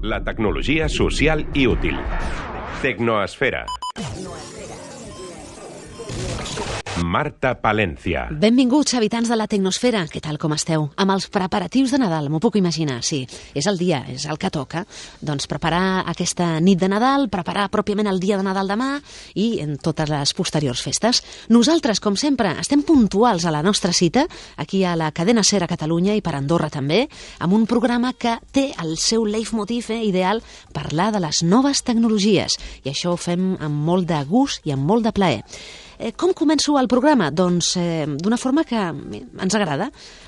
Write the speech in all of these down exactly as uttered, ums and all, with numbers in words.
La tecnologia social i útil. Tecnoesfera. Marta Palencia. Benvinguts, habitants de la Tecnosfera. Què tal, com esteu? Amb els preparatius de Nadal, m'ho puc imaginar, sí. És el dia, és el que toca. Doncs preparar aquesta nit de Nadal, preparar pròpiament el dia de Nadal demà i en totes les posteriors festes. Nosaltres, com sempre, estem puntuals a la nostra cita, aquí a la cadena SER a Catalunya i per Andorra també, amb un programa que té el seu leitmotiv eh, ideal, parlar de les noves tecnologies. I això ho fem amb molt de gust i amb molt de plaer. Eh, com començo el programa? Doncs eh, d'una forma que ens agrada,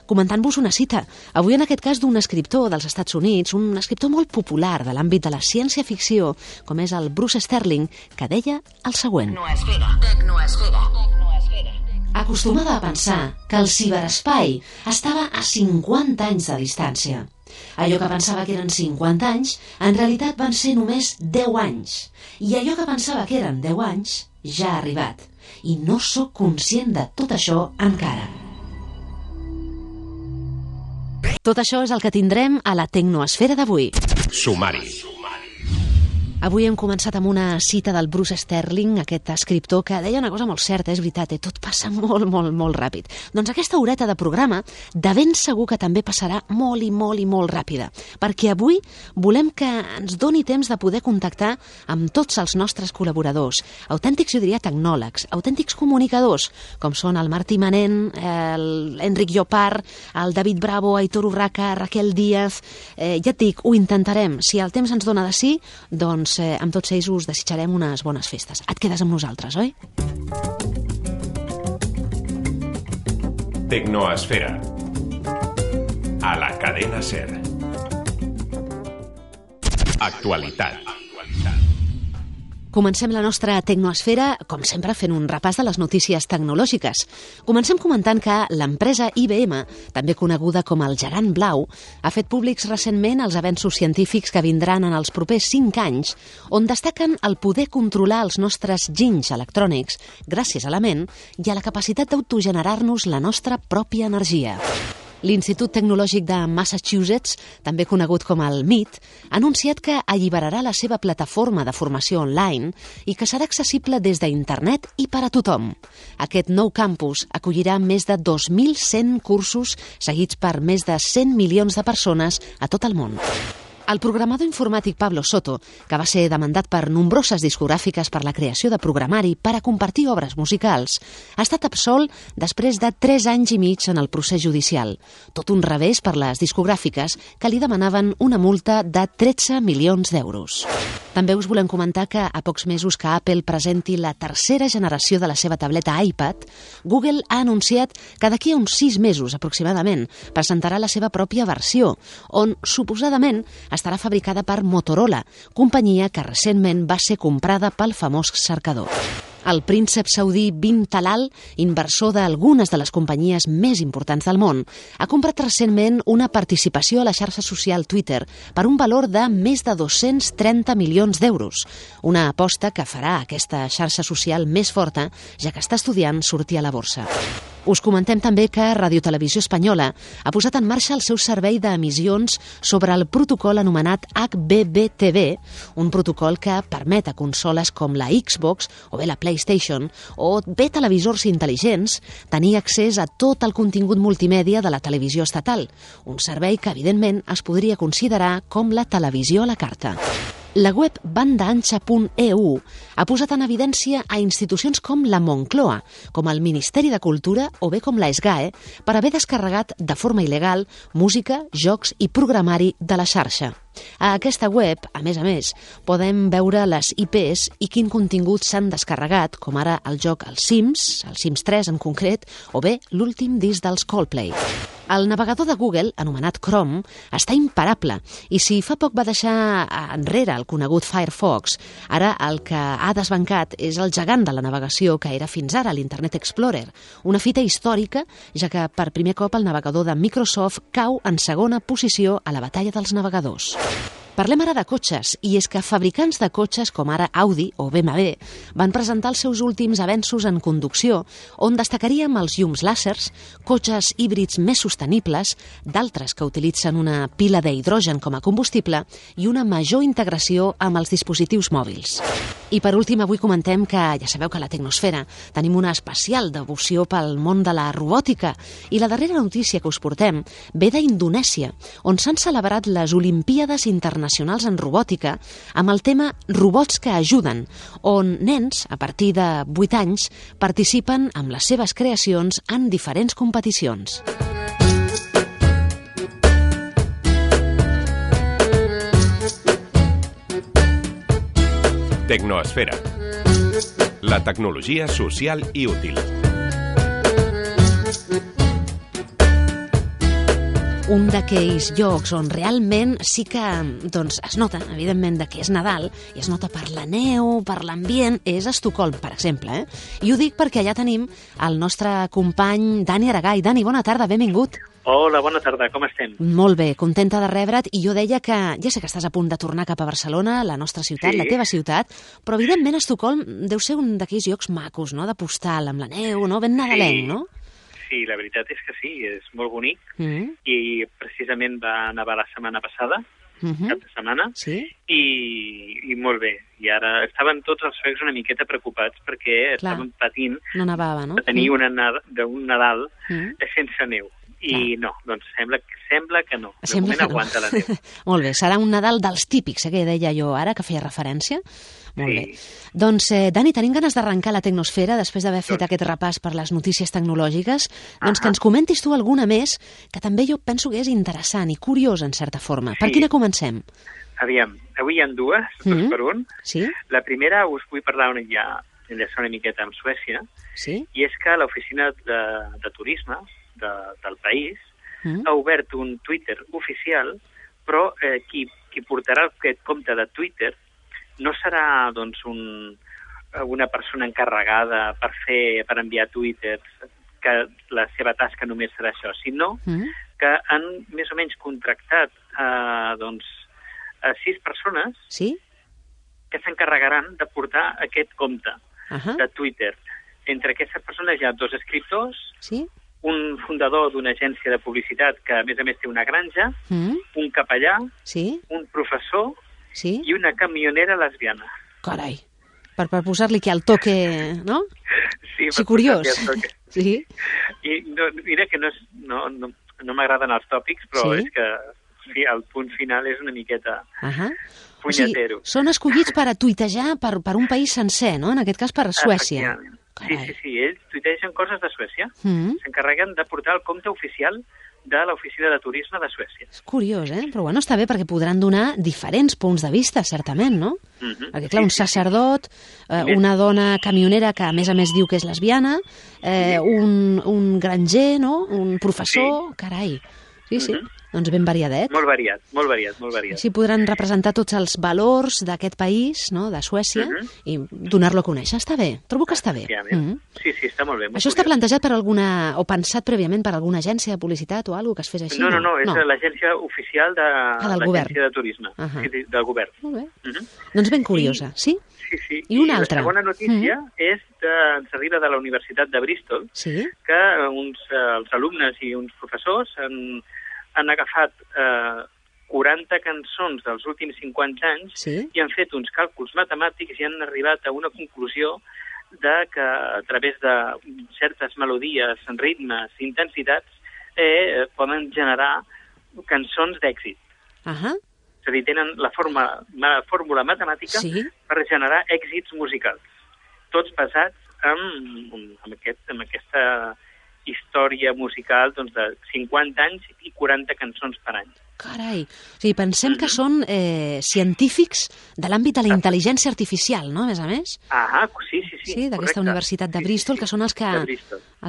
comentant-vos una cita. Avui en aquest cas d'un escriptor dels Estats Units, un escriptor molt popular de l'àmbit de la ciència-ficció, com és el Bruce Sterling, que deia el següent. Tecnoesfera, tecnoesfera, tecnoesfera. Acostumada a pensar que el ciberespai estava a cinquanta anys de distància. Allò que pensava que eren cinquanta anys, en realitat van ser només deu anys. I allò que pensava que eren deu anys, ja ha arribat. I no sóc conscient de tot això encara. Tot això és el que tindrem a la Tecnoesfera d'avui. Sumari. Avui hem començat amb una cita del Bruce Sterling, aquest escriptor que deia una cosa molt certa, és veritat, eh? Tot passa molt, molt, molt ràpid. Doncs aquesta horeta de programa de ben segur que també passarà molt i molt i molt ràpida, perquè avui volem que ens doni temps de poder contactar amb tots els nostres col·laboradors, autèntics, jo diria, tecnòlegs, autèntics comunicadors, com són el Martí Manent, l'Enric Llopart, el David Bravo, Aitor Urraca, Raquel Díaz. Eh, ja et dic, ho intentarem. Si el temps ens dona de sí, doncs eh, amb tots ells us desitjarem unes bones festes. Et quedes amb nosaltres, oi? Tecnoesfera. A la cadena SER. Actualitat. Comencem la nostra Tecnoesfera, com sempre, fent un repàs de les notícies tecnològiques. Comencem comentant que l'empresa I B M, també coneguda com el gegant blau, ha fet públics recentment els avenços científics que vindran en els propers cinc anys, on destaquen el poder controlar els nostres ginys electrònics gràcies a la ment i a la capacitat d'autogenerar-nos la nostra pròpia energia. L'Institut Tecnològic de Massachusetts, també conegut com el M I T, ha anunciat que alliberarà la seva plataforma de formació online i que serà accessible des d'internet i per a tothom. Aquest nou campus acollirà més de dos mil cent cursos seguits per més de cent milions de persones a tot el món. El programador informàtic Pablo Soto, que va ser demandat per nombroses discogràfiques per la creació de programari per a compartir obres musicals, ha estat absolt després de tres anys i mig en el procés judicial. Tot un revés per les discogràfiques que li demanaven una multa de tretze milions d'euros. També us volem comentar que a pocs mesos que Apple presenti la tercera generació de la seva tableta iPad, Google ha anunciat que d'aquí a uns sis mesos aproximadament presentarà la seva pròpia versió, on suposadament estarà fabricada per Motorola, companyia que recentment va ser comprada pel famós cercador. El príncep saudí Bin Talal, inversor d'algunes de les companyies més importants del món, ha comprat recentment una participació a la xarxa social Twitter per un valor de més de dos-cents trenta milions d'euros, una aposta que farà aquesta xarxa social més forta, ja que està estudiant sortir a la borsa. Us comentem també que Radio Televisió Espanyola ha posat en marxa el seu servei d'emissions sobre el protocol anomenat H B B T V, un protocol que permet a consoles com la Xbox o bé la PlayStation o bé televisors intel·ligents tenir accés a tot el contingut multimèdia de la televisió estatal, un servei que evidentment es podria considerar com la televisió a la carta. La web bandaancha punt e u ha posat en evidència a institucions com la Moncloa, com el Ministeri de Cultura o bé com la SGAE per haver descarregat de forma il·legal música, jocs i programari de la xarxa. A aquesta web, a més a més, podem veure les I Pes i quin contingut s'han descarregat, com ara el joc Els Sims, el Sims tres en concret, o bé l'últim disc dels Coldplay. El navegador de Google, anomenat Chrome, està imparable i si fa poc va deixar enrere el conegut Firefox, ara el que ha desbancat és el gegant de la navegació que era fins ara l'Internet Explorer, una fita històrica, ja que per primer cop el navegador de Microsoft cau en segona posició a la batalla dels navegadors. Parlem ara de cotxes, i és que fabricants de cotxes com ara Audi o B M W van presentar els seus últims avenços en conducció, on destacaríem els llums làsers, cotxes híbrids més sostenibles, d'altres que utilitzen una pila d'hidrogen com a combustible i una major integració amb els dispositius mòbils. I per últim, avui comentem que ja sabeu que a la Tecnosfera tenim una especial devoció pel món de la robòtica, i la darrera notícia que us portem ve d'Indonèsia, on s'han celebrat les Olimpíades Internacionals en Robòtica amb el tema Robots que ajuden, on nens, a partir de vuit anys, participen amb les seves creacions en diferents competicions. Tecnoesfera. La tecnologia social i útil. Un d'aquells llocs on realment sí que doncs, es nota, evidentment, que és Nadal, i es nota per la neu, per l'ambient, és Estocolm, per exemple. Eh? I ho dic perquè allà tenim el nostre company Dani Aragay. Dani, bona tarda, benvingut. Hola, bona tarda, com estem? Molt bé, contenta de rebre't, i jo deia que ja sé que estàs a punt de tornar cap a Barcelona, la nostra ciutat, sí. La teva ciutat, però evidentment Estocolm deu ser un d'aquells llocs macos, no?, de postal, amb la neu, no?, ben nadalenc, sí. no? Sí, la veritat és que sí, és molt bonic, mm. i precisament va nevar la setmana passada, mm-hmm. cap de setmana, sí. i, i molt bé. I ara estaven tots els suecs una miqueta preocupats perquè Clar. estaven patint no nevava, no? de tenir mm. una, un Nadal mm. sense neu. I Clar. no, doncs sembla, sembla que no. De Sembla moment que no. aguanta la neu. Molt bé, serà un Nadal dels típics, eh, que deia jo ara, que feia referència. Molt sí. bé. Doncs, eh, Dani, tenim ganes d'arrencar la Tecnosfera després d'haver fet doncs... aquest repàs per les notícies tecnològiques. Doncs que ens comentis tu alguna més, que també jo penso que és interessant i curiós, en certa forma. Sí. Per quina comencem? Aviam, avui hi ha dues, dos mm-hmm. per un. Sí? La primera us vull parlar una, ja, enllaçar una miqueta amb Suècia, sí? i és que l'oficina de, de turisme de, del país mm. ha obert un Twitter oficial, però eh, qui, qui portarà aquest compte de Twitter no serà doncs, un, una persona encarregada per fer per enviar Twitter, que la seva tasca només serà això, sinó mm. que han més o menys contractat eh, doncs, a sis persones sí? que s'encarregaran de portar aquest compte uh-huh. de Twitter. Entre aquestes persones hi ha dos escriptors, sí? un fundador d'una agència de publicitat que, a més a més, té una granja, mm. un capellà, sí? un professor sí? i una camionera lesbiana. Carai, per, per posar-li que al toque, no? Sí, sí curiós. Sí. I no, mira que no, és, no, no, no m'agraden els tòpics, però sí? és que sí, el punt final és una miqueta uh-huh. punyetero. O sigui, són escollits per a tuitejar per, per un país sencer, no? En aquest cas per Suècia. Sí, sí, sí, ells tuitegen coses de Suècia. Mm. S'encarreguen de portar el compte oficial de l'Oficina de Turisme de Suècia. És curiós, eh? Però bueno, està bé perquè podran donar diferents punts de vista, certament, no? Mm-hmm. Perquè, clar, sí, un sacerdot, eh, sí. una dona camionera que a més a més diu que és lesbiana, eh, un, un granger, no? Un professor, sí. Carai. Sí, sí. Mm-hmm. Doncs ben variadet. Molt variat, molt variat, molt variat. Així podran representar tots els valors d'aquest país, no?, de Suècia, uh-huh. i donar-lo a conèixer. Està bé, trobo que està bé. Uh-huh. Sí, sí, està molt bé. Molt Això curiós. està plantejat per alguna, o pensat prèviament per alguna agència de publicitat o alguna que es fes així? No, no, no, és no. l'agència oficial de ah, l'agència de turisme, uh-huh. sí, del govern. Molt bé. Uh-huh. Doncs ben curiosa, I, sí? Sí, sí. I una I altra. La segona notícia uh-huh. és de, ens arriba de la Universitat de Bristol, sí? que uns, eh, els alumnes i uns professors han han agafat eh, quaranta cançons dels últims cinquanta anys sí? i han fet uns càlculs matemàtics i han arribat a una conclusió de que a través de certes melodies, ritmes, intensitats, eh, poden generar cançons d'èxit. Uh-huh. És a dir, tenen la, forma, la fórmula matemàtica sí? per generar èxits musicals, tots basats en, en, aquest, en aquesta història musical doncs, de cinquanta anys i quaranta cançons per any. Carai, o sigui, pensem mm-hmm. que són eh, científics de l'àmbit de la intel·ligència artificial, no?, a més a més? Ah, sí, sí, sí. Sí, d'aquesta universitat de Bristol, sí, sí, sí. que són els que...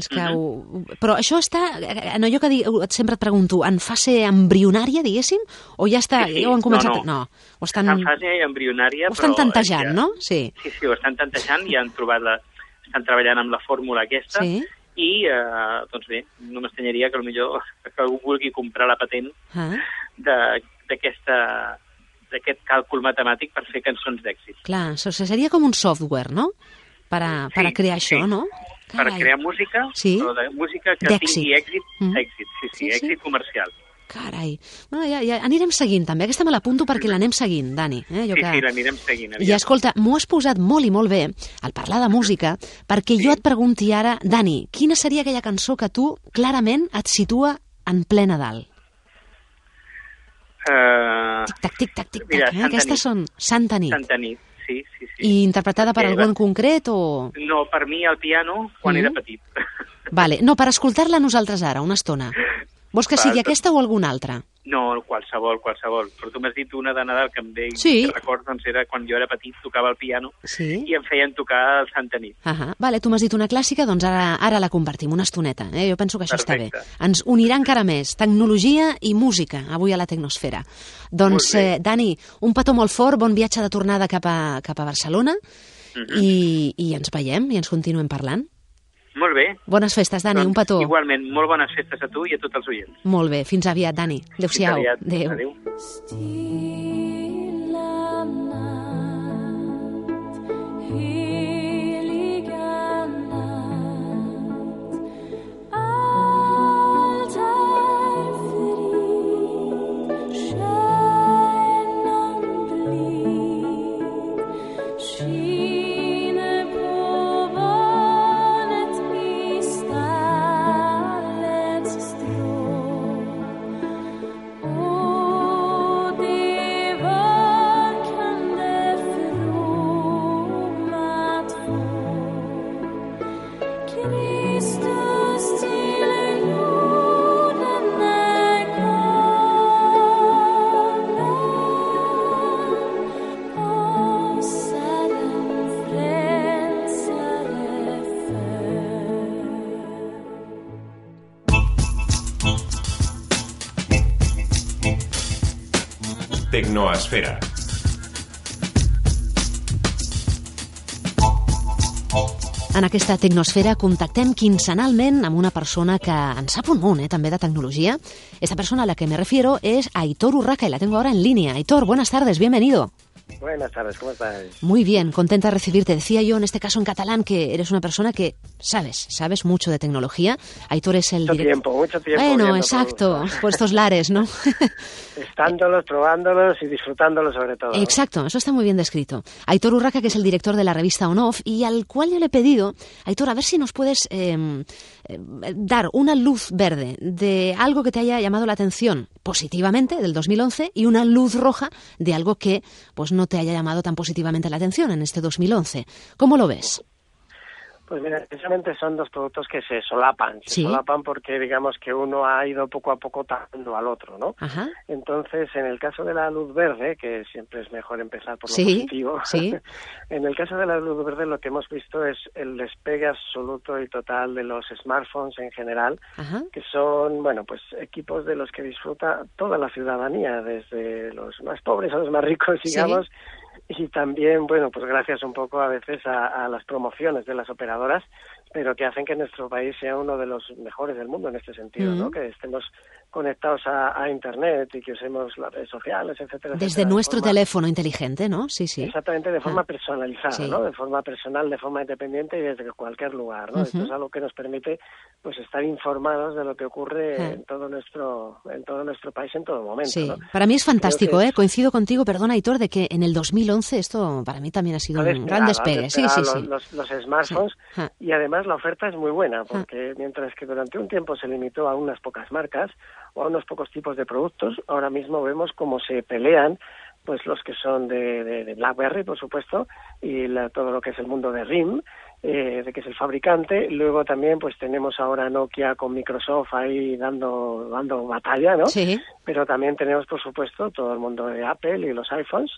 Els que mm-hmm. ho... Però això està, en allò que dic, sempre et pregunto, en fase embrionària, diguéssim, o ja està, sí, sí. ja ho han començat? No, no. no. O estan... Està en fase embrionària, ho estan però... tantejant, ja... no? Sí. sí, sí, ho estan tantejant i han trobat la... estan treballant amb la fórmula aquesta, sí. i, eh, doncs bé, no m'estranyaria que potser que algú vulgui comprar la patent ah. d'aquesta aquest càlcul matemàtic per fer cançons d'èxit. Clar, això seria com un software, no? Per a, Sí, per a crear això, sí. no? Per Carai. crear música, Sí. però de música que D'èxit. tingui èxit, Mm. èxit, sí, sí, Sí, sí. èxit comercial. Carai. Bueno, ja, ja anirem seguint, també. Aquesta me l'apunto perquè l'anem seguint, Dani. Eh? Jo Sí, que... sí, l'anirem seguint. I escolta, m'ho has posat molt i molt bé al parlar de música, perquè jo et pregunti ara, Dani, quina seria aquella cançó que tu clarament et situa en ple Nadal? Uh, Tic-tac, tic-tac, tic-tac. Mira, Eh? Santa Aquestes Nit. són Santa Nit. Santa Nit, sí, sí, sí. I interpretada per Perquè algú va- en concret o...? No, per mi al piano, quan Mm. era petit. Vale, no, per escoltar-la nosaltres ara, una estona. Vols que sigui Val, aquesta o alguna altra? No, qualsevol, qualsevol. Però tu m'has dit una de Nadal que em ve, Sí. que recordo, doncs era quan jo era petit, tocava el piano Sí. i em feien tocar el Santa Nit. Ah, vale, tu m'has dit una clàssica, doncs ara, ara la compartim, una estoneta. Eh? Jo penso que això Perfecte. està bé. Ens unirà encara més tecnologia i música avui a la Tecnosfera. Doncs, Molt bé. eh, Dani, un petó molt fort, bon viatge de tornada cap a, cap a Barcelona Mhm. i, i ens veiem i ens continuem parlant. Molt bé. Bones festes, Dani, un petó. Igualment, molt bones festes a tu i a tots els oients. Molt bé, fins aviat, Dani. Adéu-siau. Fins aviat. Adéu. Adéu. Stilla natt, heliga natt, allt är frid, stjärnan blid, skiner på barnet i stallets strå. Och det var kan det frommat få Kristus till jorden är kommen, oss är en frälsare född. Tecnoesfera. En aquesta Tecnosfera contactem quinzenalment amb una persona que en sap un munt, eh, també de tecnologia. Esta persona a la que me refiero es Aitor Urraca y la tengo ahora en línea. Aitor, buenas tardes, bienvenido. Buenas tardes, ¿cómo estás? Muy bien, contenta de recibirte. Decía yo, en este caso en catalán, que eres una persona que sabes, sabes mucho de tecnología. Aitor es el Mucho director... tiempo, mucho tiempo. Bueno, viendo exacto, productos. por estos lares, ¿no? Estándolos, probándolos y disfrutándolos sobre todo. ¿no? Exacto, eso está muy bien descrito. Aitor Urraca, que es el director de la revista On-Off, y al cual yo le he pedido, Aitor, a ver si nos puedes eh, eh, dar una luz verde de algo que te haya llamado la atención positivamente del dos mil once y una luz roja de algo que pues no te haya llamado tan positivamente la atención en este dos mil once. ¿Cómo lo ves? Pues mira, precisamente son dos productos que se solapan. Se Sí. solapan porque digamos que uno ha ido poco a poco tapando al otro, ¿no? Ajá. Entonces, en el caso de la luz verde, que siempre es mejor empezar por lo Sí, positivo, sí. en el caso de la luz verde lo que hemos visto es el despegue absoluto y total de los smartphones en general, Ajá. que son, bueno, pues equipos de los que disfruta toda la ciudadanía, desde los más pobres a los más ricos, Sí. digamos, y también, bueno, pues gracias un poco a veces a, a las promociones de las operadoras, pero que hacen que nuestro país sea uno de los mejores del mundo en este sentido, Mm. ¿no? Que estemos conectados a, a Internet y que usemos las redes sociales, etcétera. Desde etcétera, de nuestro forma- teléfono inteligente, ¿no? Sí, sí. Exactamente, de forma Ah. personalizada, Sí. ¿no? De forma personal, de forma independiente y desde cualquier lugar, ¿no? Ujú. Esto es algo que nos permite, pues, estar informados de lo que ocurre Ah. en todo nuestro, en todo nuestro país en todo momento, Sí, ¿no? para mí es fantástico, Creo que ¿eh? Coincido contigo, perdona, Aitor, de que en el dos mil once esto para mí también ha sido Ha un despegado, gran ha despegue. Sí, despegado sí, sí. los, los, los smartphones Sí. Ah. y además la oferta es muy buena porque mientras que durante un tiempo se limitó a unas pocas marcas o a unos pocos tipos de productos, ahora mismo vemos cómo se pelean pues los que son de, de, de BlackBerry, por supuesto, y la, todo lo que es el mundo de R I M, eh, de que es el fabricante. Luego también pues tenemos ahora Nokia con Microsoft ahí dando dando batalla, ¿no? Sí. Pero también tenemos, por supuesto, todo el mundo de Apple y los iPhones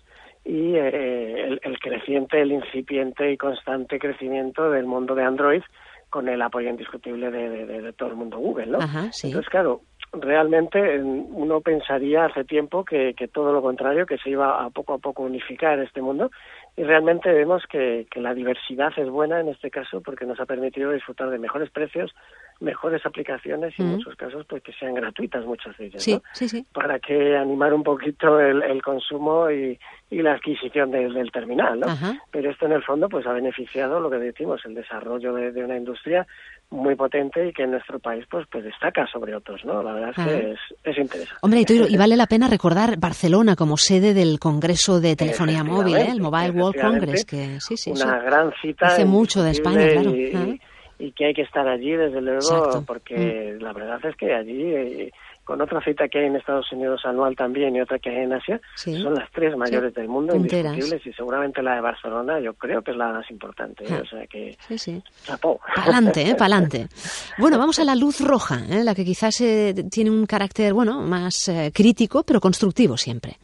y eh, el, el creciente, el incipiente y constante crecimiento del mundo de Android con el apoyo indiscutible de, de, de, de todo el mundo Google, ¿no? Ajá, sí. Entonces, claro, realmente uno pensaría hace tiempo que, que todo lo contrario, que se iba a poco a poco unificar este mundo y realmente vemos que, que la diversidad es buena en este caso porque nos ha permitido disfrutar de mejores precios, mejores aplicaciones y Mm. en muchos casos pues que sean gratuitas muchas de ellas, Sí, ¿no? sí, sí. Para que animar un poquito el, el consumo y, y la adquisición del, del terminal, ¿no? Ajá. Pero esto en el fondo pues ha beneficiado lo que decimos, el desarrollo de, de una industria muy potente y que en nuestro país pues pues destaca sobre otros, ¿no? La verdad es Ajá. que es, es interesante. Hombre, y, tú- y vale la pena recordar Barcelona como sede del Congreso de Telefonía Móvil, ¿eh? el Mobile World Congress, que sí, sí, sí. Una gran cita. Hace mucho de España, claro. Y, Ajá. y que hay que estar allí, desde luego, Exacto. porque la verdad es que allí, eh, con otra cita que hay en Estados Unidos anual también y otra que hay en Asia, Sí. son las tres mayores Sí. del mundo, Punteras. indiscutibles, y seguramente la de Barcelona yo creo que es la más importante. ¿eh? Ah. O sea que, Sí, sí. chapó. Pa'lante, ¿eh? Pa'lante. Bueno, vamos a la luz roja, ¿eh? La que quizás eh, tiene un carácter, bueno, más eh, crítico, pero constructivo siempre.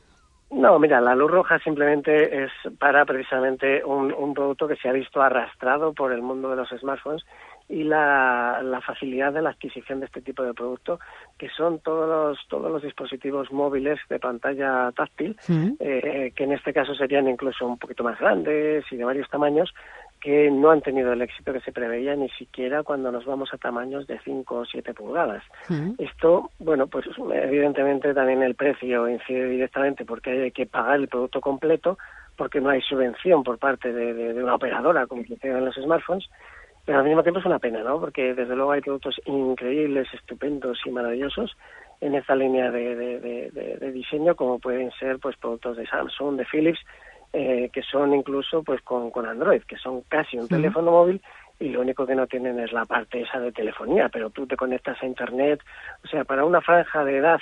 No, mira, la luz roja simplemente es para precisamente un, un producto que se ha visto arrastrado por el mundo de los smartphones y la, la facilidad de la adquisición de este tipo de producto, que son todos los, todos los dispositivos móviles de pantalla táctil, Mm. eh, que en este caso serían incluso un poquito más grandes y de varios tamaños, que no han tenido el éxito que se preveía ni siquiera cuando nos vamos a tamaños de cinco o siete pulgadas. Mm. Esto, bueno, pues evidentemente también el precio incide directamente porque hay que pagar el producto completo, porque no hay subvención por parte de, de, de una operadora como sucede en los smartphones, pero al mismo tiempo es una pena, ¿no? Porque desde luego hay productos increíbles, estupendos y maravillosos en esta línea de, de, de, de, de diseño, como pueden ser pues productos de Samsung, de Philips, eh, que son incluso pues con, con Android, que son casi un Mm. teléfono móvil y lo único que no tienen es la parte esa de telefonía, pero tú te conectas a Internet, o sea, para una franja de edad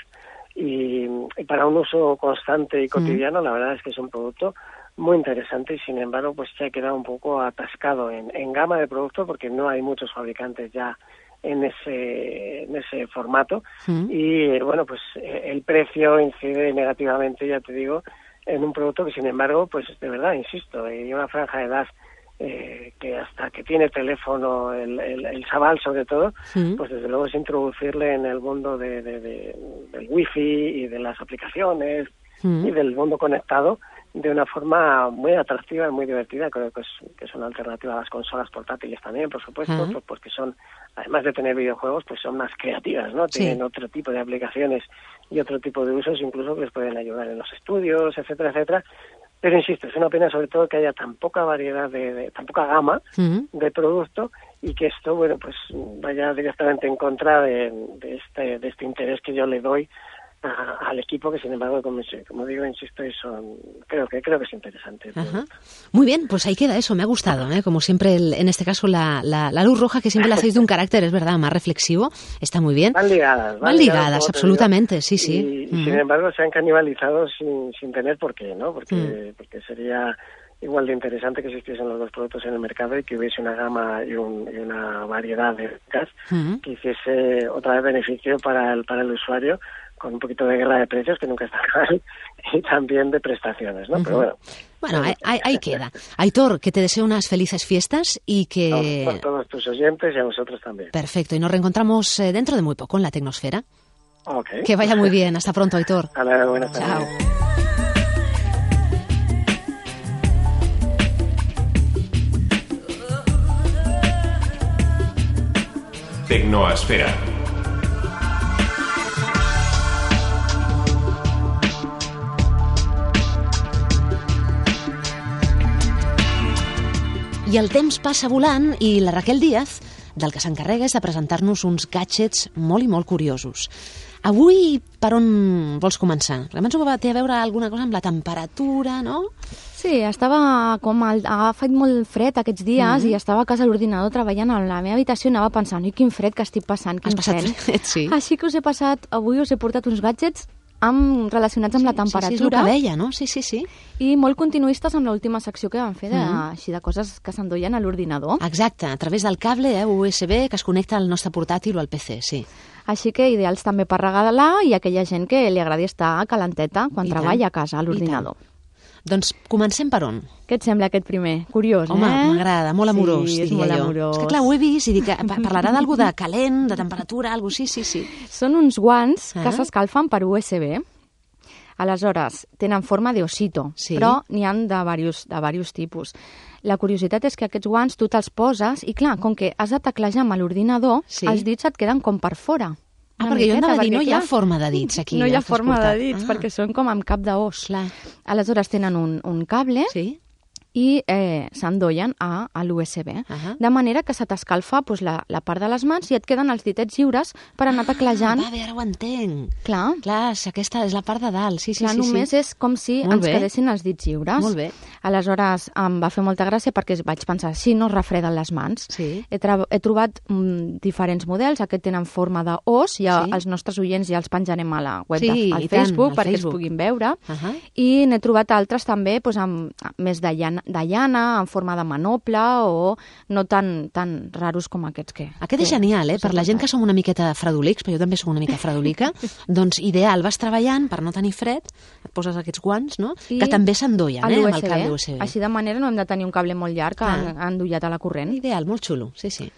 y, y para un uso constante y cotidiano, la verdad es que es un producto muy interesante y sin embargo pues se ha quedado un poco atascado en, en gama de productos porque no hay muchos fabricantes ya en ese en ese formato Mm. y bueno pues eh, el precio incide negativamente, ya te digo, en un producto que sin embargo pues de verdad insisto, hay una franja de edad eh, que hasta que tiene teléfono el, el, el chaval sobre todo, Mm. pues desde luego es introducirle en el mundo de, de, de, del wifi y de las aplicaciones Mm. y del mundo conectado de una forma muy atractiva y muy divertida. Creo que es, que es una alternativa a las consolas portátiles también, por supuesto, Ajá. pues porque son, además de tener videojuegos, pues son más creativas, ¿no? Sí. Tienen otro tipo de aplicaciones y otro tipo de usos, incluso que les pueden ayudar en los estudios, etcétera, etcétera. Pero insisto, es una pena sobre todo que haya tan poca variedad, de, de tan poca gama Mm. de producto y que esto, bueno, pues vaya directamente en contra de, de este de este interés que yo le doy a- al equipo, que sin embargo, como, como digo, insisto, y son, creo que creo que es interesante. el Ajá. producto. Muy bien, pues ahí queda eso, me ha gustado, ¿eh? Como siempre, el- en este caso, la, la, la luz roja, que siempre la hacéis de un carácter, es verdad, más reflexivo, está muy bien. Van ligadas. Van ligadas, como te absolutamente, digo. sí, sí. Y, y Ujú. sin embargo se han canibalizado sin, sin tener por qué, ¿no? Porque, Mm. porque sería igual de interesante que existiesen los dos productos en el mercado y que hubiese una gama y, un, y una variedad de marcas Ujú. que hiciese otra vez beneficio para el, para el usuario, con un poquito de guerra de precios, que nunca está mal, y también de prestaciones, ¿no? Pero bueno. Bueno, ahí, ahí- ahí queda. Aitor, que te deseo unas felices fiestas y que... A todos tus oyentes y a vosotros también. Perfecto, y nos reencontramos eh, dentro de muy poco en la Tecnosfera. Ok. Que vaya muy bien, hasta pronto, Aitor. Hola, buenas tardes. Chao. Tecnoesfera. I el temps passa volant i la Raquel Díaz del que s'encarrega és de presentar-nos uns gadgets molt i molt curiosos. Avui, per on vols començar? Penso que té a veure alguna cosa amb la temperatura, no? Sí, estava com... El, ha fet molt fred aquests dies Mhm. i estava a casa a l'ordinador treballant a la meva habitació i anava pensant, ui, quin fred que estic passant, quin Has passat fred. fred, sí. Així que us he passat, avui us he portat uns gadgets amb, relacionats amb la Sí, sí, és el temperatura que deia, no? Sí, sí, sí. i molt continuistes amb l'última secció que vam fer de, Mhm. així de coses que s'enduien a l'ordinador. Exacte, a través del cable eh, U S B que es connecta al nostre portàtil o al P C, sí. Així que ideals també per regalar i aquella gent que li agradi estar calenteta quan I treballa tant, a casa a i l'ordinador. Doncs comencem per on? Què et sembla aquest primer? Curiós, Home, eh? m'agrada, molt amorós, sí, és diria molt jo. amorós. És que clar, ho he vist i dic, que pa- parlarà d'algú de calent, de temperatura, algo sí, sí, sí. Són uns guants Ah. que s'escalfen per U S B. Aleshores, tenen forma d'osito, Sí. però n'hi ha de diversos, de diversos tipus. La curiositat és que aquests guants tu te'ls poses i, clar, com que has de teclejar amb l'ordinador, Sí. els dits et queden com per fora. Ah, Una perquè jo anava a dir, miqueta, no perquè, hi ha clar, forma de dits aquí. no hi ha el que has forma de portat. dits, Ah, perquè són com amb cap d'os. Clar. Aleshores tenen un, un cable Sí? i eh, s'endollen a, a l'U S B. Ahà. De manera que se t'escalfa pues, la, la part de les mans i et queden els ditets lliures per anar teclejant. Ah, va bé, ara ho entenc. Clar, Clar, si aquesta és la part de dalt. Sí, sí, clar sí. només sí. és com si Molt ens bé. quedessin els dits lliures. Molt bé. Aleshores, em va fer molta gràcia perquè vaig pensar, si no es refreden les mans. Sí. He, he trobat mm, diferents models, aquest tenen forma d'os, ja Sí. els nostres oients ja els penjarem a la web, Sí, de, al i tant, Facebook, al perquè Facebook. es puguin veure. Ahà. I n'he trobat altres també doncs, amb, més de llana, de llana, en forma de manople, o no tan, tan raros com aquests que... Aquest és que genial, eh? us he Per la gent que portat. som una miqueta fredolics, però jo també sóc una mica fredolica, doncs ideal, vas treballant per no tenir fred, et poses aquests guants, no? I que també s'endollen, a eh? Amb l'U el S B. cable U S B. Així de manera no hem de tenir un cable molt llarg Ah. en- endollat a la corrent. Ideal, molt xulo, sí, sí.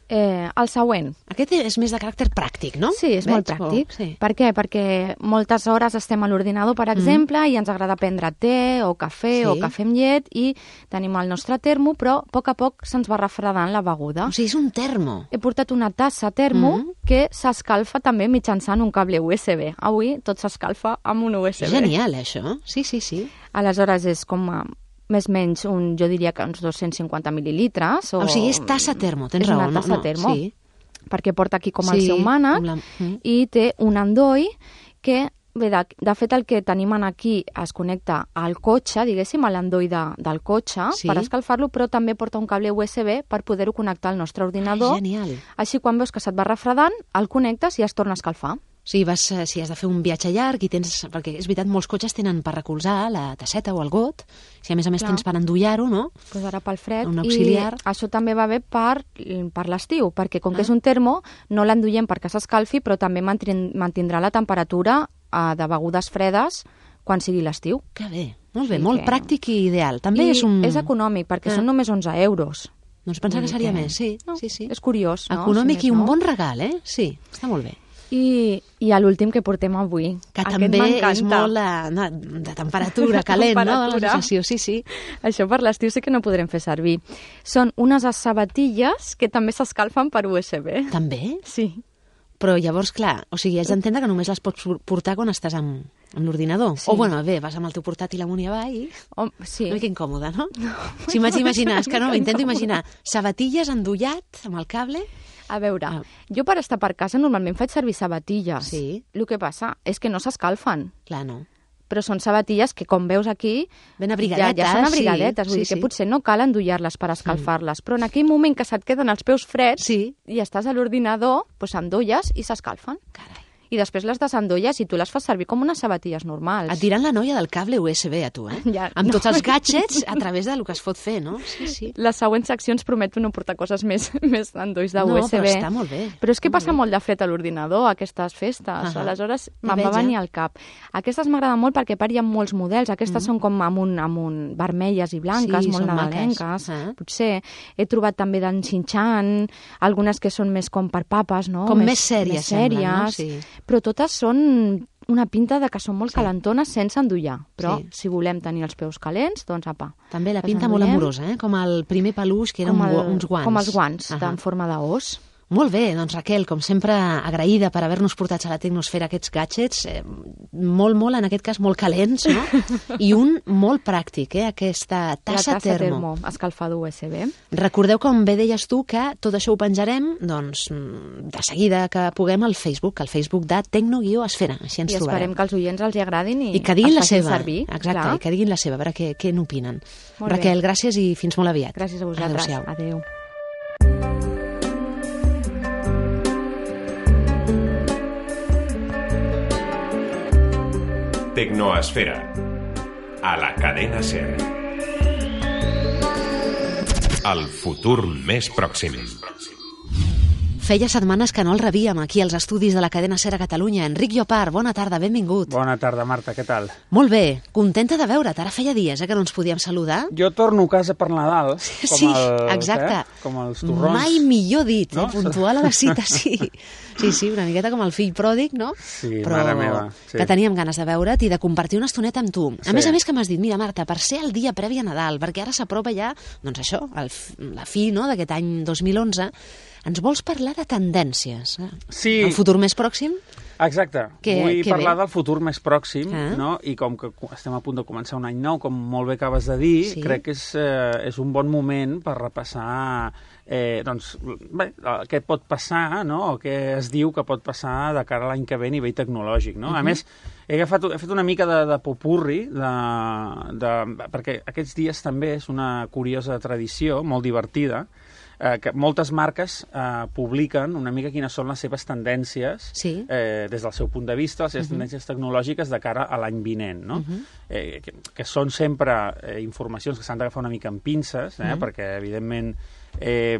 Eh, el següent. Aquest és més de caràcter pràctic, no? Sí, és molt Veig? pràctic. O- sí. Per què? Perquè moltes hores estem a l'ordinador, per exemple, mm. i ens agrada prendre te o cafè Sí. o cafè amb llet i tenim el nostre termo, però a poc a poc se'ns va refredant la beguda. O sigui, és un termo. He portat una tassa termo Mm. que s'escalfa també mitjançant un cable U S B. Avui tot s'escalfa amb un U S B. Genial, eh, això. Sí, sí, sí. Aleshores és com a, més o menys, un, jo diria que uns dos-cents cinquanta mil·lilitres. O, O sigui, és tassa termo, tens és raó. una no? tassa no, termo. Sí. Perquè porta aquí com Sí, el seu mànec com la- mm. i té un endoll que, bé, de, de fet el que tenim aquí es connecta al cotxe, diguéssim, a l'endoll de, del cotxe Sí. per escalfar-lo, però també porta un cable U S B per poder-ho connectar al nostre ordinador. Ah, genial. Així quan veus que se't va refredant, el connectes i es torna a escalfar. O sigui, vas, eh, si has de fer un viatge llarg i tens... Perquè és veritat, molts cotxes tenen per recolzar la tasseta o el got. Si a més a més Clar. tens per endollar-ho, no? Pues ara pel fred. Un auxiliar. I això també va bé per, per l'estiu, perquè com Ah. que és un termo, no l'enduiem perquè s'escalfi, però també mantrin, mantindrà la temperatura eh, de begudes fredes quan sigui l'estiu. Que bé, molt bé, Sí molt que- pràctic i ideal. També I és un... és econòmic, perquè Ah. són només onze euros. Doncs pensava Vull que dir seria que- més, sí, No, sí, sí. És curiós, no? Econòmic Si i més un no. bon regal, eh? Sí, està molt bé. I, i a l'últim que portem avui. Que Aquest també m'encanta. és molt de, de, de temperatura, calent, no? La Temperatura. sensació, sí, sí. Això per l'estiu sí que no podrem fer servir. Són unes sabatilles que també s'escalfen per U S B. També? Sí. Però llavors, clar, o sigui, has d'entendre que només les pots portar quan estàs amb, amb l'ordinador. Sí. O, bueno, bé, vas amb el teu portàtil amunt i avall i... Oh, sí. Una mica incòmode, no? no. Si m'haig d'imaginar, és que no, intento imaginar sabatilles endollat amb el cable. A veure, Ah. jo per estar per casa normalment faig servir sabatilles. Sí. El que passa és que no s'escalfen. Clar, no. Però són sabatilles que, com veus aquí, Ben ja, abrigadetes. ja són abrigadetes. sí, Vull sí, dir que sí. potser no cal endollar-les per escalfar-les, però en aquell moment que se't queden els peus freds Sí. i estàs a l'ordinador, doncs endolles i s'escalfen. Carai. I després les desendolles i tu les fas servir com unes sabatilles normals. Et diran la noia del cable U S B a tu, eh? Ja, amb no. tots els gadgets a través del que es pot fer, no? Sí, sí. Les següents seccions prometo no portar coses més, més endolls de No, U S B. però està molt bé. Però és que Molt passa bé. molt de fred a l'ordinador, aquestes festes. Ahà. Aleshores, Ja me'n veig, va venir ja. al cap. Aquestes m'agraden molt perquè a part hi ha molts models. Aquestes Mm. són com amb un, amb un vermelles i blanques, Sí, molt són nadalenques. maques. Ah. Potser he trobat també d'en Xinxan, algunes que són més com per papes, no? Com més sèries, més semblen, no? sèries. Sí. Però totes són una pinta de que són molt Sí. calentones sense endollar. Però Sí. si volem tenir els peus calents, doncs apa. També la Les pinta molt endollem. amorosa, eh? Com el primer peluix, que eren Com el- uns guants. Com els guants, Ahà. en forma d'os. Molt bé, doncs Raquel, com sempre, agraïda per haver-nos portat a la tecnosfera aquests gadgets, eh, molt, molt, en aquest cas, molt calents, no? I un molt pràctic, eh? Aquesta tassa, la tassa termo. termo, escalfador U S B. Recordeu, com bé deies tu, que tot això ho penjarem, doncs, mm, de seguida que puguem al Facebook, al Facebook de Tecno-Esfera, així ens I trobarem. esperem que els oients els hi agradin i, I que diguin els la facin seva. servir. Exacte, Clar. i que diguin la seva, a veure què, què n'opinen. Molt bé. Raquel, gràcies i fins molt aviat. Gràcies a vosaltres. Adéu-siau. Adéu. Tecnoesfera. A la cadena SER. El futur més pròxim. Feia setmanes que no el rebíem aquí als estudis de la cadena SER a Catalunya. Enric Llopart, bona tarda, benvingut. Bona tarda, Marta, què tal? Molt bé, contenta de veure't. Ara feia dies eh, que no ens podíem saludar. Jo torno a casa per Nadal, com, sí, el, exacte. Eh? com els torrons. Mai millor dit, no? eh? Puntual a la cita, sí. Sí, sí, una miqueta com el fill pròdig, no? Sí, Però mare meva. Sí. Que teníem ganes de veure't i de compartir una estoneta amb tu. A Sí. més a més que m'has dit, mira, Marta, per ser el dia previ a Nadal, perquè ara s'apropa ja, doncs això, el, la fi no, d'aquest any dos mil onze, ens vols parlar de tendències? Eh? Sí. El futur més pròxim? Exacte. Que, Vull que parlar bé. del futur més pròxim, Ah. no? I com que estem a punt de començar un any nou, com molt bé acabes de dir, Sí. crec que és, eh, és un bon moment per repassar eh, doncs, bé, què pot passar, no? O què es diu que pot passar de cara a l'any que ve a nivell tecnològic, no? Uh -huh. A més, he, agafat, he fet una mica de, de popurri, de, de, perquè aquests dies també és una curiosa tradició, molt divertida, eh, que moltes marques eh, publiquen una mica quines són les seves tendències Sí. eh, des del seu punt de vista, les seves uh -huh. tendències tecnològiques de cara a l'any vinent, no? Uh -huh. eh, que, que són sempre eh, informacions que s'han d'agafar una mica amb pinces, eh, uh -huh. perquè, evidentment, eh,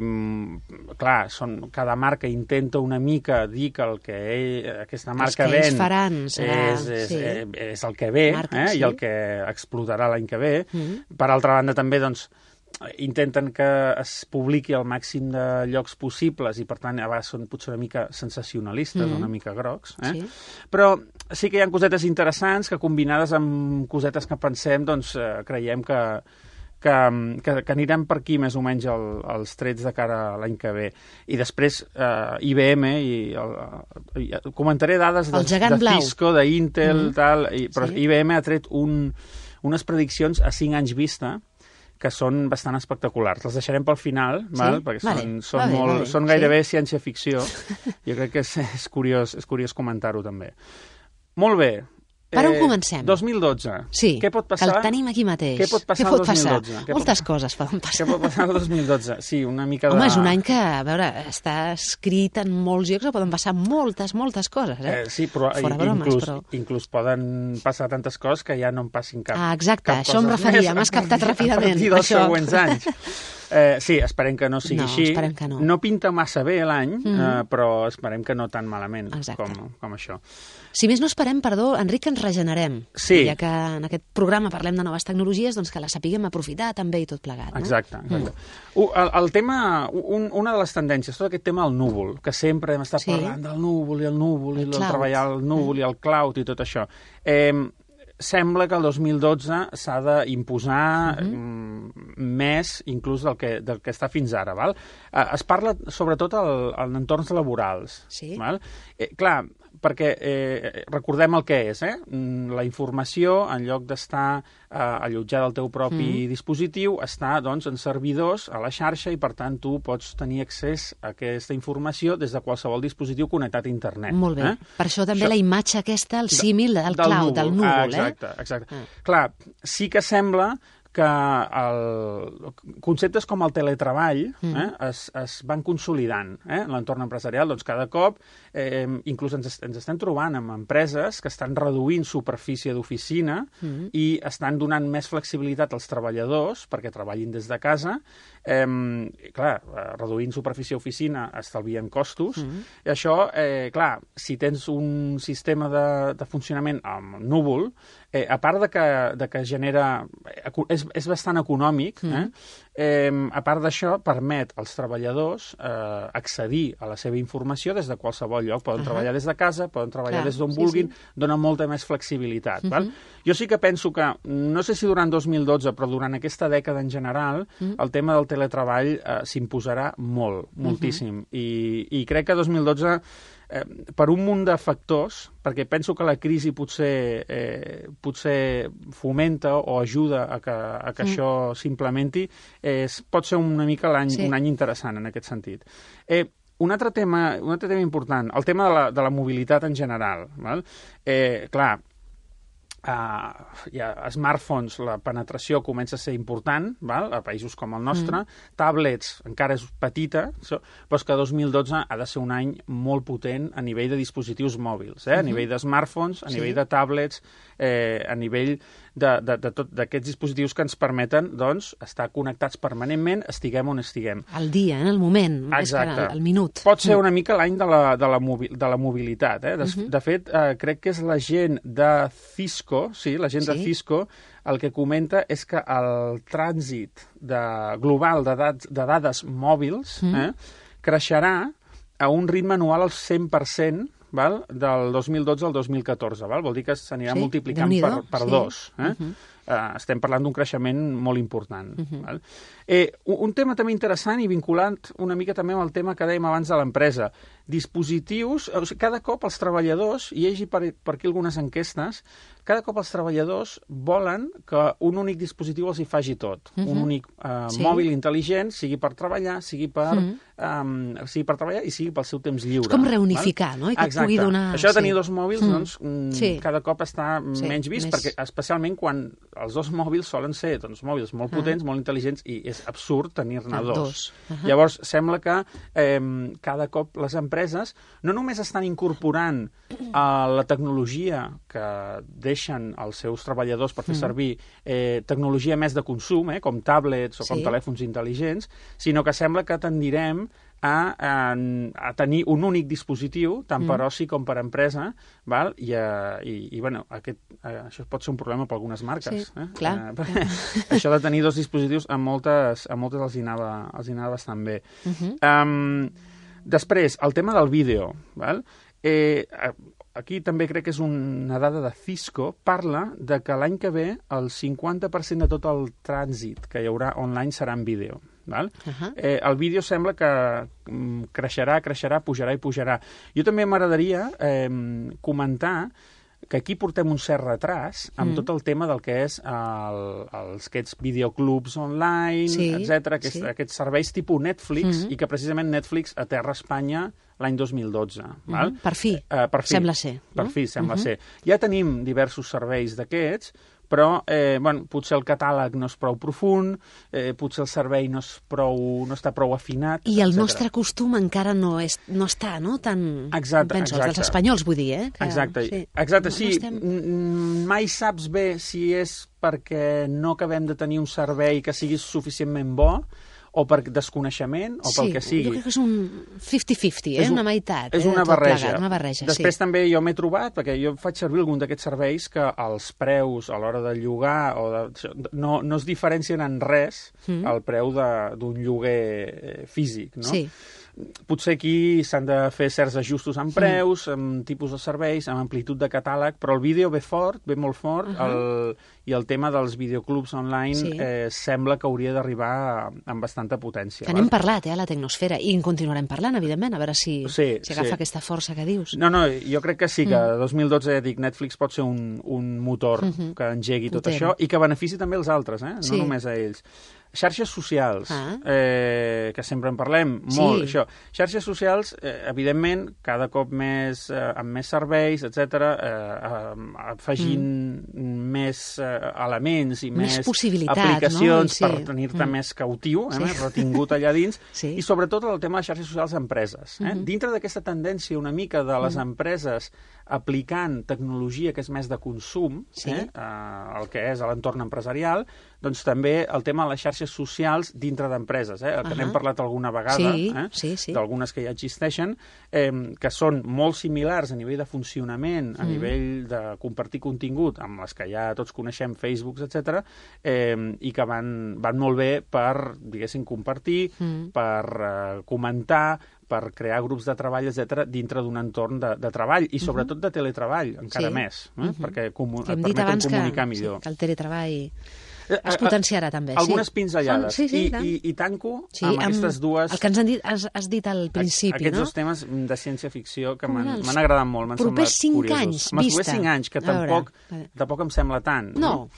clar, són, cada marca intenta una mica dir que el que ell, aquesta marca que ven ells faran serà- és, és, sí. eh, és el que ve Marca, eh, sí. i el que explotarà l'any que ve. Uh -huh. Per altra banda, també, doncs, intenten que es publiqui al màxim de llocs possibles i, per tant, a vegades són potser una mica sensacionalistes, Mhm. una mica grocs. Eh? Sí. Però sí que hi ha cosetes interessants que, combinades amb cosetes que pensem, doncs eh, creiem que, que, que, que anirem per aquí més o menys el, els trets de cara a l'any que ve. I després eh, I B M, i, el, i comentaré dades de, El gegant de blau. Cisco, d'Intel, Mhm. tal, i, però Sí. I B M ha tret un, unes prediccions a cinc anys vista que són bastant espectaculars. Les deixarem pel final, val? Perquè Vale. són, són, Va bé, molt, va bé. són gairebé sí. ciència-ficció. Jo crec que és, és curiós, és curiós comentar-ho, també. Molt bé. Per on comencem? dos mil dotze. Sí, Què pot passar? que el tenim aquí mateix. Què pot passar Què pot el dos mil passar? dotze? Què Moltes pot... coses poden Què passar. pot passar el dos mil dotze? Sí, una mica de... Home, és un any que, a veure, està escrit en molts llocs, poden passar moltes, moltes coses, eh? Eh, sí, però, Fora i- bromes, inclús, però... inclús poden passar tantes coses que ja no en passin cap. Ah, exacte, cap això em coses referia, més m'has a captat partir- ràpidament, A partir dels això. següents anys. Eh, sí, esperem que no sigui No, així. esperem que no. No pinta massa bé l'any, Mhm. eh, però esperem que no tan malament Exacte. com, com això. Si més no esperem, perdó, Enric, que ens regenerem. Sí. I ja que en aquest programa parlem de noves tecnologies, doncs que les sapiguem aprofitar també i tot plegat, no? Exacte, exacte. Uh, el, el tema, un, una de les tendències, tot aquest tema del núvol, que sempre hem estat Sí. parlant del núvol i el núvol, El i el cloud. treballar el núvol i el cloud i tot això. Eh, sembla que el dos mil dotze s'ha d'imposar uh -huh. mm, més inclús del que, del que està fins ara. Val? Eh, es parla sobretot al, en entorns laborals. Sí. Val? Eh, clar, perquè eh, recordem el que és, eh? Mm, la informació, en lloc d'estar eh, allotjada al teu propi mm. dispositiu, està doncs, en servidors a la xarxa i, per tant, tu pots tenir accés a aquesta informació des de qualsevol dispositiu connectat a internet. Molt bé. Eh? Per això també Això- la imatge aquesta, el símil del, del cloud, del núvol, ah, eh? exacte, exacte. Ah. Clar, sí que sembla que el, conceptes com el teletreball Mm. eh, es, es van consolidant eh, en l'entorn empresarial. Doncs cada cop eh, inclús ens, ens estem trobant amb empreses que estan reduint superfície d'oficina Mm. i estan donant més flexibilitat als treballadors perquè treballin des de casa. Eh, i clar, eh, reduint superfície d'oficina estalvien costos. Mm. I això, eh, clar, si tens un sistema de, de funcionament amb núvol, eh, a part de que, de que genera... És, és bastant econòmic, eh? Eh, a part d'això, permet als treballadors eh, accedir a la seva informació des de qualsevol lloc. Poden uh -huh. treballar des de casa, poden treballar Clar, des d'on sí, vulguin, sí. dona molta més flexibilitat. Uh -huh. Val? Jo sí que penso que, no sé si durant dos mil dotze, però durant aquesta dècada en general, uh -huh. el tema del teletreball eh, s'imposarà molt, moltíssim. Uh -huh. I, I crec que dos mil dotze... Eh, per un munt de factors, perquè penso que la crisi potser, eh, potser fomenta o ajuda a que, a que mm. això s'implementi, eh, pot ser una mica l'any, Sí. un any interessant en aquest sentit. Eh, un altre tema, un altre tema important, el tema de la, de la mobilitat en general. Val? Eh, clar, Uh, hi ha smartphones, la penetració comença a ser important, val? A països com el nostre, mm. tablets encara és petita, so, però és que dos mil dotze ha de ser un any molt potent a nivell de dispositius mòbils, eh? Mm-hmm. A nivell de smartphones, a sí. nivell de tablets, eh, a nivell de, de, de tot d'aquests dispositius que ens permeten, doncs, estar connectats permanentment, estiguem on estiguem. Al dia, en el moment, Exacte. al, al minut. Pot ser una mica l'any de, la, de, la mobi de la mobilitat. Eh? De, Mhm. de fet, eh, crec que és la gent de Cisco, sí, la gent Sí. de Cisco, el que comenta és que el trànsit de, global de, dat, de dades mòbils Mhm. eh, creixerà a un ritme anual al cent per cent, val? Del dos mil dotze al dos mil catorze. Val? Vol dir que s'anirà Sí, multiplicant per, Déu-n'hi-do, per sí. dos. Eh? Mhm. Uh, estem parlant d'un creixement molt important. Mhm. Val? Eh, un, un tema també interessant i vinculant una mica també amb el tema que dèiem abans de l'empresa. Dispositius, o sigui, cada cop els treballadors, i hi hagi per, per aquí algunes enquestes, cada cop els treballadors volen que un únic dispositiu els hi faci tot. Mhm. Un únic uh, Sí. mòbil intel·ligent, sigui per treballar, sigui per, Mhm. um, sigui per treballar i sigui pel seu temps lliure. És com val? reunificar, no? I que et Exacte. pugui donar- Això de tenir sí. dos mòbils, Mm. doncs, mm, Sí. cada cop està Sí, menys vist, més- perquè especialment quan els dos mòbils solen ser doncs, mòbils molt Ah. potents, molt intel·ligents, i és absurd tenir-ne Ah, dos. dos. Ahà. Llavors, sembla que eh, cada cop les empreses no només estan incorporant eh, la tecnologia que deixen els seus treballadors per fer Mm. servir eh, tecnologia més de consum, eh, com tablets o com Sí. telèfons intel·ligents, sinó que sembla que tendirem a, a, a tenir un únic dispositiu, tant per Mm. oci com per empresa, val? I, uh, i, i bueno, aquest, uh, això pot ser un problema per algunes marques. Sí, eh? clar. Uh, perquè això de tenir dos dispositius, a moltes, a moltes els, hi anava, els hi anava bastant bé. Mhm. Um, després, el tema del vídeo. Val? Eh, aquí també crec que és una dada de Cisco, parla de que l'any que ve el cinquanta per cent de tot el trànsit que hi haurà online serà en vídeo. Val? Ahà. Eh, el vídeo sembla que mm, creixerà, creixerà, pujarà i pujarà. Jo també m'agradaria eh, comentar que aquí portem un cert retras amb Mm. tot el tema del que és el, els, aquests videoclubs online, Sí, etcètera, aquests, sí. aquests serveis tipus Netflix, Mhm. i que precisament Netflix aterra a Espanya l'any dos mil dotze. Val? Mhm. Per fi, Eh, per fi. sembla ser, Per no? fi, sembla Mhm. ser. Ja tenim diversos serveis d'aquests, però eh, bueno, potser el catàleg no és prou profund, eh, potser el servei no, és prou, no està prou afinat, I el etcètera. nostre costum encara no, és, no està, no?, tan... Exacte, penso, exacte. Els espanyols, vull dir, eh? Que, Exacte, sí. exacte, No- sí. no estem- Mm, Mai saps bé si és perquè no acabem de tenir un servei que sigui suficientment bo, o per desconeixement, o pel sí, que sigui. jo crec que és un cinquanta cinquanta, eh? És un- Una meitat. És eh? una de tot barreja. plegat, una barreja, Després sí. també jo m'he trobat, perquè jo faig servir algun d'aquests serveis que els preus a l'hora de llogar o de, això, no, no es diferencien en res Mm. al preu de- d'un lloguer eh, físic, no? Sí. Potser aquí s'han de fer certs ajustos en preus, amb tipus de serveis, amb amplitud de catàleg, però el vídeo ve fort, ve molt fort, Ahà. el, i el tema dels videoclubs online Sí. eh, sembla que hauria d'arribar amb bastanta potència. Que val? n'hem parlat, eh, a la tecnosfera, i en continuarem parlant, evidentment, a veure si, Sí, si agafa sí. aquesta força que dius. No, no, jo crec que sí, que Mm. dos mil dotze, ja dic, Netflix pot ser un, un motor Mhm. que engegui tot Potent. això i que benefici també els altres, eh? Sí. No només a ells. Xarxes socials, Ah. eh, que sempre en parlem Sí. molt, això. Xarxes socials, eh, evidentment, cada cop més, eh, amb més serveis, etcètera, eh, eh, afegint més eh, elements i Més més, possibilitats, aplicacions no? I sí. per tenir-te Mm. més cautiu, eh, Sí. més retingut allà dins, Sí. i sobretot el tema de xarxes socials a empreses. Eh? Mhm. Dintre d'aquesta tendència una mica de les Mhm. empreses aplicant tecnologia que és més de consum, Sí. eh? eh, el que és a l'entorn empresarial, doncs també el tema de les xarxes socials dintre d'empreses, eh? el que Ahà. n'hem parlat alguna vegada, Sí, eh? sí, sí. d'algunes que ja existeixen, eh, que són molt similars a nivell de funcionament, a Mhm. nivell de compartir contingut, amb les que ja tots coneixem, Facebook, etcètera, eh, i que van, van molt bé per, diguéssim, compartir, Mm. per eh, comentar, per crear grups de treball, etcètera, dintre d'un entorn de, de treball, i sobretot de teletreball, encara Sí. més, eh? Mhm. perquè comu- Que hem et dit permeten abans que, comunicar sí, millor. que el teletreball Eh, es eh, potenciarà també. Algunes sí. pinzellades. Sí, sí, I, i tant. i, I tanco Sí, amb aquestes dues... El que ens han dit, has, has dit al principi, Aquests no? dos temes de ciència-ficció que Com m'han eren els m'han agradat molt, m'han propers semblat cinc curiosos. anys, Amb els vista. propers cinc anys, que A veure, tampoc, vale. tampoc em sembla tant. No.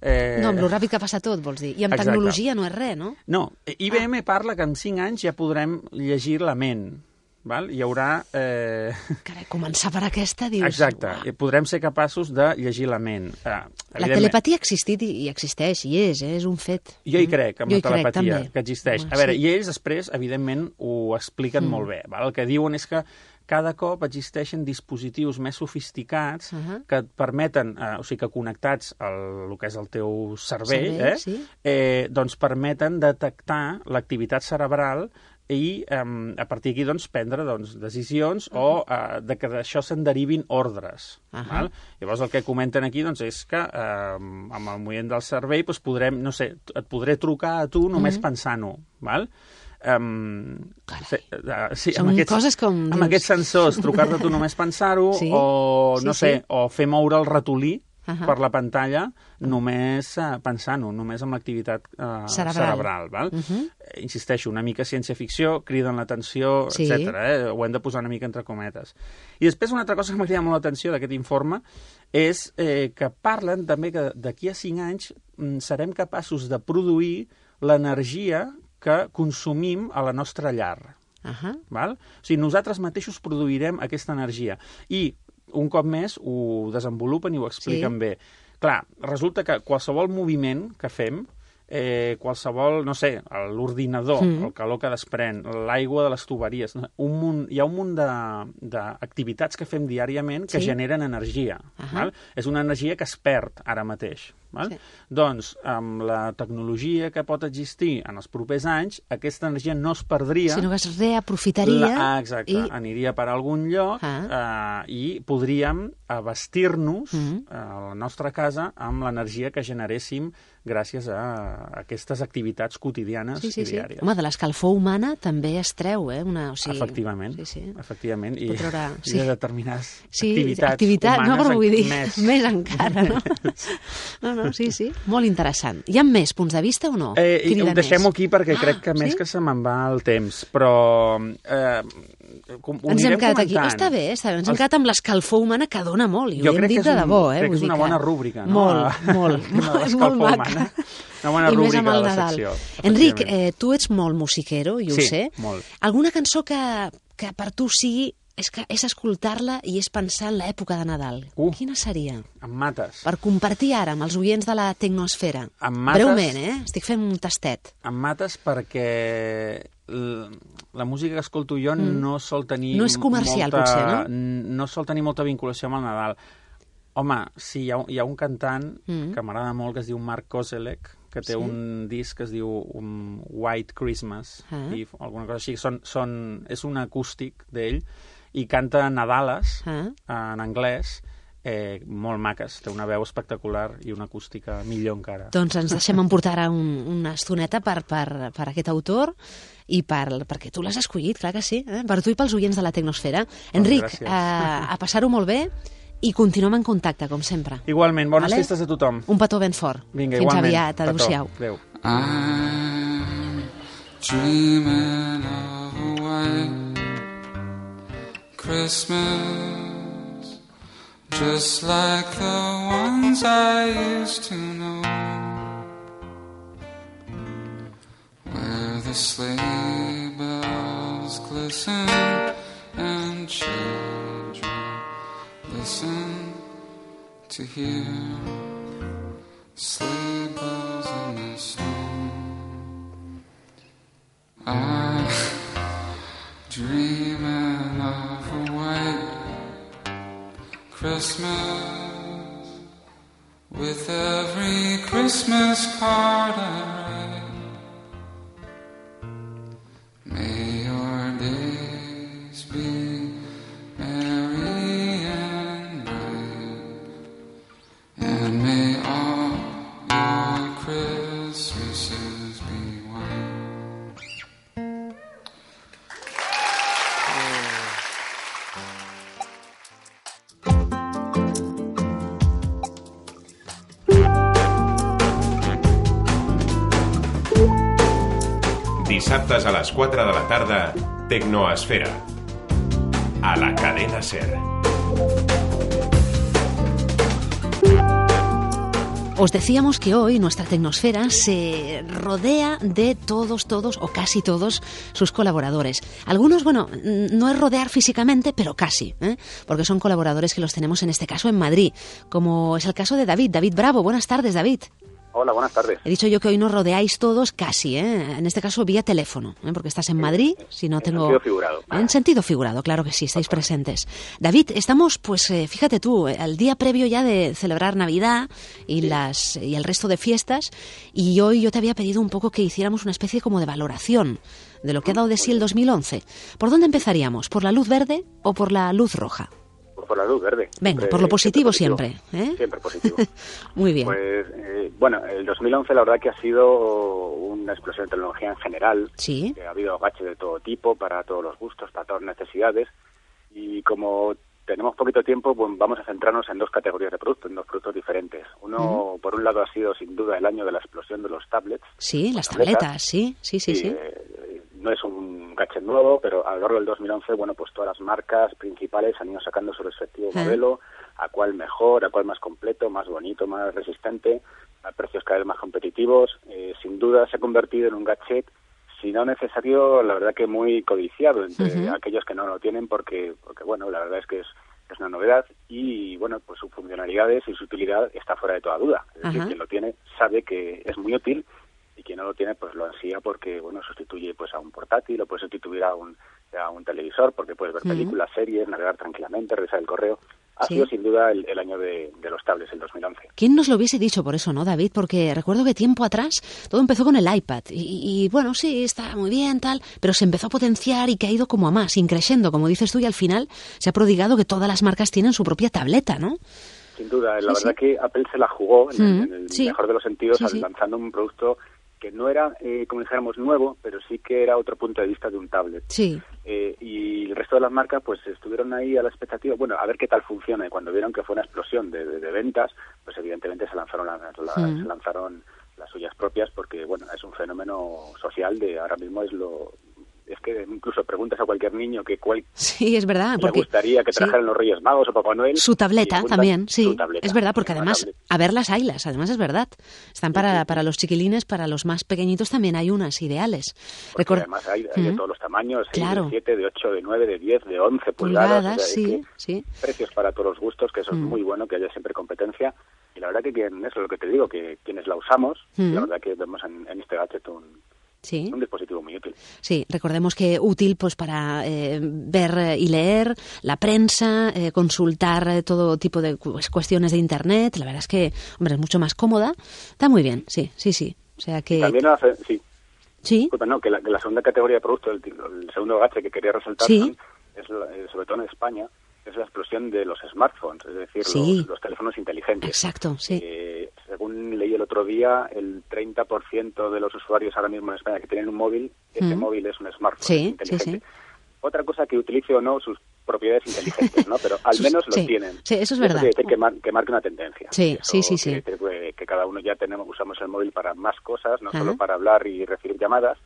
Eh, No, amb lo ràpid que passa tot, vols dir. I amb Exacte. tecnologia no és res, no? No, I B M parla que en cinc anys ja podrem llegir la ment. Val? Hi haurà... Eh... Carai, començar per aquesta, dius... Exacte, uah. i podrem ser capaços de llegir la ment. Eh, La evidentment, telepatia ha existit i, i existeix, i és, eh? És un fet. Jo hi crec, amb Jo la hi crec, telepatia, també. que existeix. Home, A veure, sí. i ells després, evidentment, ho expliquen Mm. molt bé. Val? El que diuen és que cada cop existeixen dispositius més sofisticats Uh -huh. que et permeten, eh, o sigui, que connectats al el que és el teu cervell, Cervell, eh, sí. eh, doncs permeten detectar l'activitat cerebral i um, a partir d'aquí doncs, prendre doncs, decisions uh -huh. o uh, de que d'això se'n derivin ordres. Uh -huh. Val? Llavors el que comenten aquí doncs, és que uh, amb el moviment del cervell doncs, podrem, no sé, et podré trucar a tu només uh -huh. pensant-ho. Val? Um, sí, uh, sí, Són amb aquests, coses com... amb aquests sensors, trucar-te tu només pensar-ho, Sí, o no sí, sé, sí. o fer moure el ratolí Uh -huh. per la pantalla només uh, pensant-ho, només amb l'activitat uh, Cerebral. cerebral. Val? Uh -huh. Eh, Insisteixo, una mica ciència-ficció, criden l'atenció, Sí. etcètera. Eh? Ho hem de posar una mica entre cometes. I després una altra cosa que m'ha cridat molt l'atenció d'aquest informe és eh, que parlen també que d'aquí a cinc anys mm, serem capaços de produir l'energia que consumim a la nostra llar. Uh -huh. Val? O sigui, nosaltres mateixos produirem aquesta energia. I un cop més ho desenvolupen i ho expliquen Sí. bé. Clar, resulta que qualsevol moviment que fem, eh, qualsevol, no sé, l'ordinador, Mm. el calor que desprèn, l'aigua de les tuberies, un munt, hi ha un munt d'activitats que fem diàriament que Sí. generen energia. Ahà. Val? És una energia que es perd ara mateix. Val? Sí. Doncs, amb la tecnologia que pot existir en els propers anys, aquesta energia no es perdria, Sinó que es reaprofitaria... la, ah, exacte, i... aniria per algun lloc Ah. eh, i podríem abastir-nos Mm. a la nostra casa amb l'energia que generéssim gràcies a aquestes activitats quotidianes Sí, sí, i sí. diàries. Home, de l'escalfor humana també es treu, eh? Una, o sigui... Efectivament, Sí, sí. efectivament. I, Pot treure- i sí. de determinades Sí, activitats activitat, humanes no, però vull dir, més. més encara, no? No, no, sí, sí, molt interessant. Hi ha més punts de vista o no? Eh, i Crida ho deixem-ho més. aquí perquè Ah, crec que més sí? que se me'n va el temps, però eh, com, ho Ens hem anirem quedat aquí. comentant. Està bé, està bé. Ens hem Els- quedat amb l'escalfor humana que dona molt, i Jo ho hem crec dit que és de un- debò, eh? crec que Vull és dir una bona rúbrica, no? Molt, A- molt, de molt, l'escalfor molt maca. humana. Una bona I més rúbrica amb el de la Nadal. secció, Enric, efectivament. eh, tu ets molt musiquero, i ho Sí, sé. molt. Alguna cançó que, que per tu sigui és, que, és escoltar-la i és pensar en l'època de Nadal. Uh. Quina seria? Em mates. Per compartir ara amb els oients de la tecnosfera. Em mates. Breument, eh? Estic fent un tastet. Em mates perquè l- la música que escolto jo mm. no sol tenir... No és comercial, molta, potser, no? No sol tenir molta vinculació amb el Nadal. Home, sí, hi ha, hi ha un cantant Mm. que m'agrada molt, que es diu Mark Kozelek, que té Sí? un disc que es diu um, White Christmas, Ah. i alguna cosa així. Són, són, és un acústic d'ell, i canta Nadales Ah. en anglès, eh, molt maques. Té una veu espectacular i una acústica millor encara. Doncs ens deixem emportar ara un, una estoneta per, per, per aquest autor i per, perquè tu l'has escollit, clar que sí, eh? Per tu i pels oients de la Tecnosfera. Enric, gràcies. a, a passar-ho molt bé i continuem en contacte, com sempre. Igualment, bones Vale? festes a tothom. Un petó ben fort. Vinga, Fins igualment. aviat, adéu-siau. Petó. Adéu. I'm dreaming of a white Christmas, just like the ones I used to know, where the sleigh bells glisten and children listen to hear sleigh bells in the snow. I'm dreaming of a white Christmas, with every Christmas card I write. May your days be merry and bright, and may all your Christmases be white. Dissabtes a les quatre de la tarda, Tecnoesfera. A la cadena SER. Os decíamos que hoy nuestra Tecnosfera se rodea de todos, todos o casi todos sus colaboradores. Algunos, bueno, no es rodear físicamente, pero casi, ¿eh? Porque son colaboradores que los tenemos en este caso en Madrid, como es el caso de David. David Bravo, buenas tardes, David. Hola, buenas tardes. He dicho yo que hoy nos rodeáis todos casi, ¿eh? En este caso vía teléfono, ¿eh? Porque estás en Madrid, si no en tengo... sentido figurado. En sentido figurado, claro que sí, estáis presentes. David, estamos, pues eh, fíjate tú, eh, al día previo ya de celebrar Navidad y, Sí. las, y el resto de fiestas, y hoy yo te había pedido un poco que hiciéramos una especie como de valoración de lo que ha dado de sí el dos mil once. ¿Por dónde empezaríamos? ¿Por la luz verde o por la luz roja? Pues por la luz verde. Venga, Siempre- por lo positivo siempre. siempre. positivo. ¿eh? Siempre positivo. Muy bien. Pues, eh, bueno, el dos mil once la verdad que ha sido una explosión de tecnología en general. Sí. Que ha habido gadgets de todo tipo, para todos los gustos, para todas las necesidades. Y como tenemos poquito tiempo, pues vamos a centrarnos en dos categorías de productos, en dos productos diferentes. Uno, Ujú. por un lado, ha sido sin duda el año de la explosión de los tablets. Sí, las tabletas. tabletas, sí, sí, sí, sí. eh, no es un gadget nuevo, pero a lo largo del dos mil once, bueno, pues todas las marcas principales han ido sacando su respectivo Ah. modelo, a cuál mejor, a cuál más completo, más bonito, más resistente, a precios cada vez más competitivos. Eh, sin duda se ha convertido en un gadget, si no necesario, la verdad que muy codiciado entre Ujú. aquellos que no lo tienen, porque, porque bueno, la verdad es que es, es una novedad y, bueno, pues sus funcionalidades y su utilidad está fuera de toda duda. Es decir, Ajá. quien lo tiene sabe que es muy útil y quien no lo tiene pues lo ansía porque, bueno, sustituye pues a un portátil o puede sustituir a un, a un televisor porque puedes ver Ujú. películas, series, navegar tranquilamente, revisar el correo. Ha Sí. sido sin duda el, el año de, de los tablets, el dos mil once. ¿Quién nos lo hubiese dicho por eso, no, David? Porque recuerdo que tiempo atrás todo empezó con el iPad y, y, bueno, sí, está muy bien, tal, pero se empezó a potenciar y que ha ido como a más, increciendo, como dices tú, y al final se ha prodigado que todas las marcas tienen su propia tableta, ¿no? Sin duda, Sí, la sí. verdad que Apple se la jugó en, el- Mm, en el sí. mejor de los sentidos, Sí, sí. lanzando un producto que no era, eh, como dijéramos, nuevo, pero sí que era otro punto de vista de un tablet. Sí. Eh, y el resto de las marcas pues estuvieron ahí a la expectativa, bueno, a ver qué tal funciona, y cuando vieron que fue una explosión de, de- de ventas, pues evidentemente se lanzaron las, las- Mm. se lanzaron las suyas propias, porque bueno, es un fenómeno social de ahora mismo, es lo es que incluso preguntas a cualquier niño que cuál Sí, es verdad. le Porque gustaría que sí. trajeran los Reyes Magos o Papá Noel. Su tableta y apuntan también, sí. su tableta, Es verdad, porque una además, tablet. a ver las haylas, además es verdad. Están para, para los chiquilines, para los más pequeñitos también hay unas ideales. Porque Record- además hay, hay de Ujú. todos los tamaños, hay Claro. de siete, de ocho, de nueve, de diez, de once pulgadas. Pulgadas, o sea, es sí, que sí. precios para todos los gustos, que eso es Mm. muy bueno, que haya siempre competencia. Y la verdad que quien, eso es lo que te digo, que quienes la usamos, Mm. la verdad que vemos en, en este gadget un, Sí. un dispositivo muy útil. Sí, recordemos que útil pues para eh, ver eh, y leer la prensa, eh, consultar eh, todo tipo de cu- cuestiones de internet. La verdad es que, hombre, es mucho más cómoda. Está muy bien, sí, sí, sí. O sea que... También hace, sí, Sí, disculpa, no, que la, que la segunda categoría de producto, el, el segundo gadget que quería resaltar, Sí. son- es la- eh, sobre todo en España, es la explosión de los smartphones, es decir, Sí. los, los teléfonos inteligentes. exacto, sí. Eh, según leí el otro día, el treinta por ciento de los usuarios ahora mismo en España que tienen un móvil, ese Mm. móvil es un smartphone Sí, sí, inteligente. sí. Otra cosa que utilice o no sus propiedades inteligentes, ¿no? Pero al Sus- menos lo sí, tienen. sí, eso es Y verdad. quiere decir que, mar- que marque una tendencia. Sí, Eso sí, sí, sí. quiere decir que, que cada uno ya tenemos usamos el móvil para más cosas, no Ajá. solo para hablar y recibir llamadas,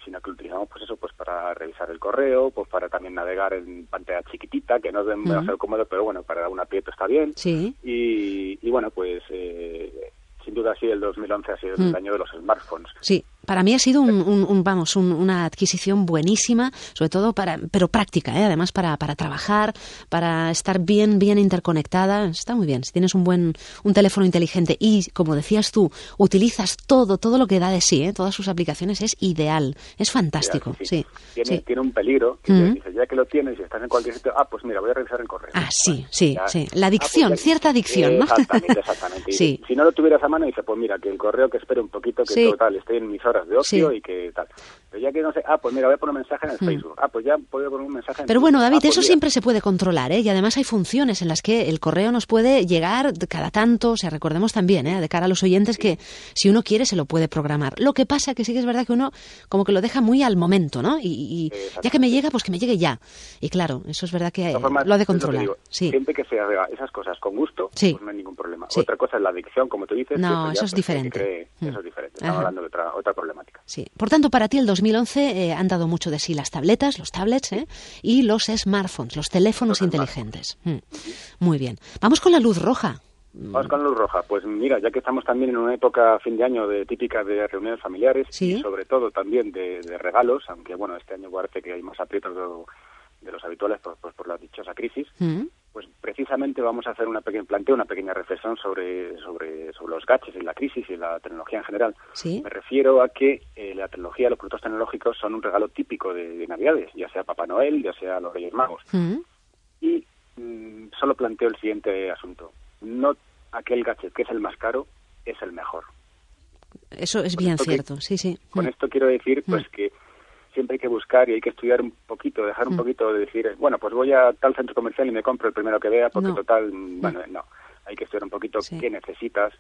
sino que lo utilizamos pues eso pues para revisar el correo, pues para también navegar en pantalla chiquitita, que no es demasiado cómodo, pero bueno, para un aprieto está bien. Sí. Y, y bueno, pues eh, sin duda sí, el dos mil once ha sido Mm. el año de los smartphones. Sí, para mí ha sido un, un- un, vamos, un- una adquisición buenísima, sobre todo para, pero práctica, ¿eh? Además para, para trabajar, para estar bien, bien interconectada. Está muy bien. Si tienes un buen, un teléfono inteligente y, como decías tú, utilizas todo, todo lo que da de sí, ¿eh? Todas sus aplicaciones, es ideal, es fantástico. Sí, Sí, Tiene, sí. tiene un peligro, que Ujú. te dices, ya que lo tienes y estás en cualquier sitio, ah, pues mira, voy a revisar el correo. Ah, sí, sí, Ya. sí. La Ah, adicción, pues ya- cierta adicción, ¿no? Exactamente, exactamente. Y Sí. Si no lo tuvieras a mano, dice, pues mira, que el correo que espere un poquito, que Sí. total, estoy en mis horas de ocio Sí. y que tal. Pero ya que no sé, ah, pues mira, voy a poner un mensaje en el Mm. Facebook. Ah, pues ya voy a poner un mensaje en Pero Twitter. bueno, David, Ah, pues eso mira. siempre se puede controlar, ¿eh? Y además hay funciones en las que el correo nos puede llegar de cada tanto, o sea, recordemos también, ¿eh? De cara a los oyentes, que si uno quiere se lo puede programar. Lo que pasa que sí que es verdad que uno como que lo deja muy al momento, ¿no? Y, y ya que me llega, pues que me llegue ya. Y claro, eso es verdad que De eh, todas formas, lo ha de es lo que controlar. digo, Sí. Siempre que se haga esas cosas con gusto, Sí. pues no hay ningún problema. Sí. Otra cosa es la adicción, como tú dices. No, que ya, eso es pues, hay que diferente. creer- Mm. Eso es diferente. Estamos Ajá. hablando de otra, otra problemática. Sí. Por tanto, para ti el dos mil once eh, han dado mucho de sí las tabletas, los tablets, ¿eh? Y los smartphones, los teléfonos Los inteligentes. Mm. Muy bien. Vamos con la luz roja. Vamos con la luz roja. Pues mira, ya que estamos también en una época fin de año de típica de reuniones familiares Sí. y sobre todo también de, de regalos, aunque bueno, este año parece que hay más aprietos de, de los habituales por, pues, por la dichosa crisis, Mm. pues precisamente vamos a hacer una pequeña planteo, una pequeña reflexión sobre, sobre, sobre los gadgets y la crisis y la tecnología en general. ¿Sí? Me refiero a que eh, la tecnología, los productos tecnológicos son un regalo típico de, de Navidades, ya sea Papá Noel, ya sea los Reyes Magos. Mm. Y mmm, solo planteo el siguiente asunto. No aquel gadget que es el más caro es el mejor. Eso es Con bien esto que- cierto, sí, sí. Con Mm. esto quiero decir pues Mm. que siempre hay que buscar y hay que estudiar un poquito, dejar un Mm. poquito de decir, bueno, pues voy a tal centro comercial y me compro el primero que vea, porque No. total, mm, bueno, no. Hay que estudiar un poquito Sí. qué necesitas,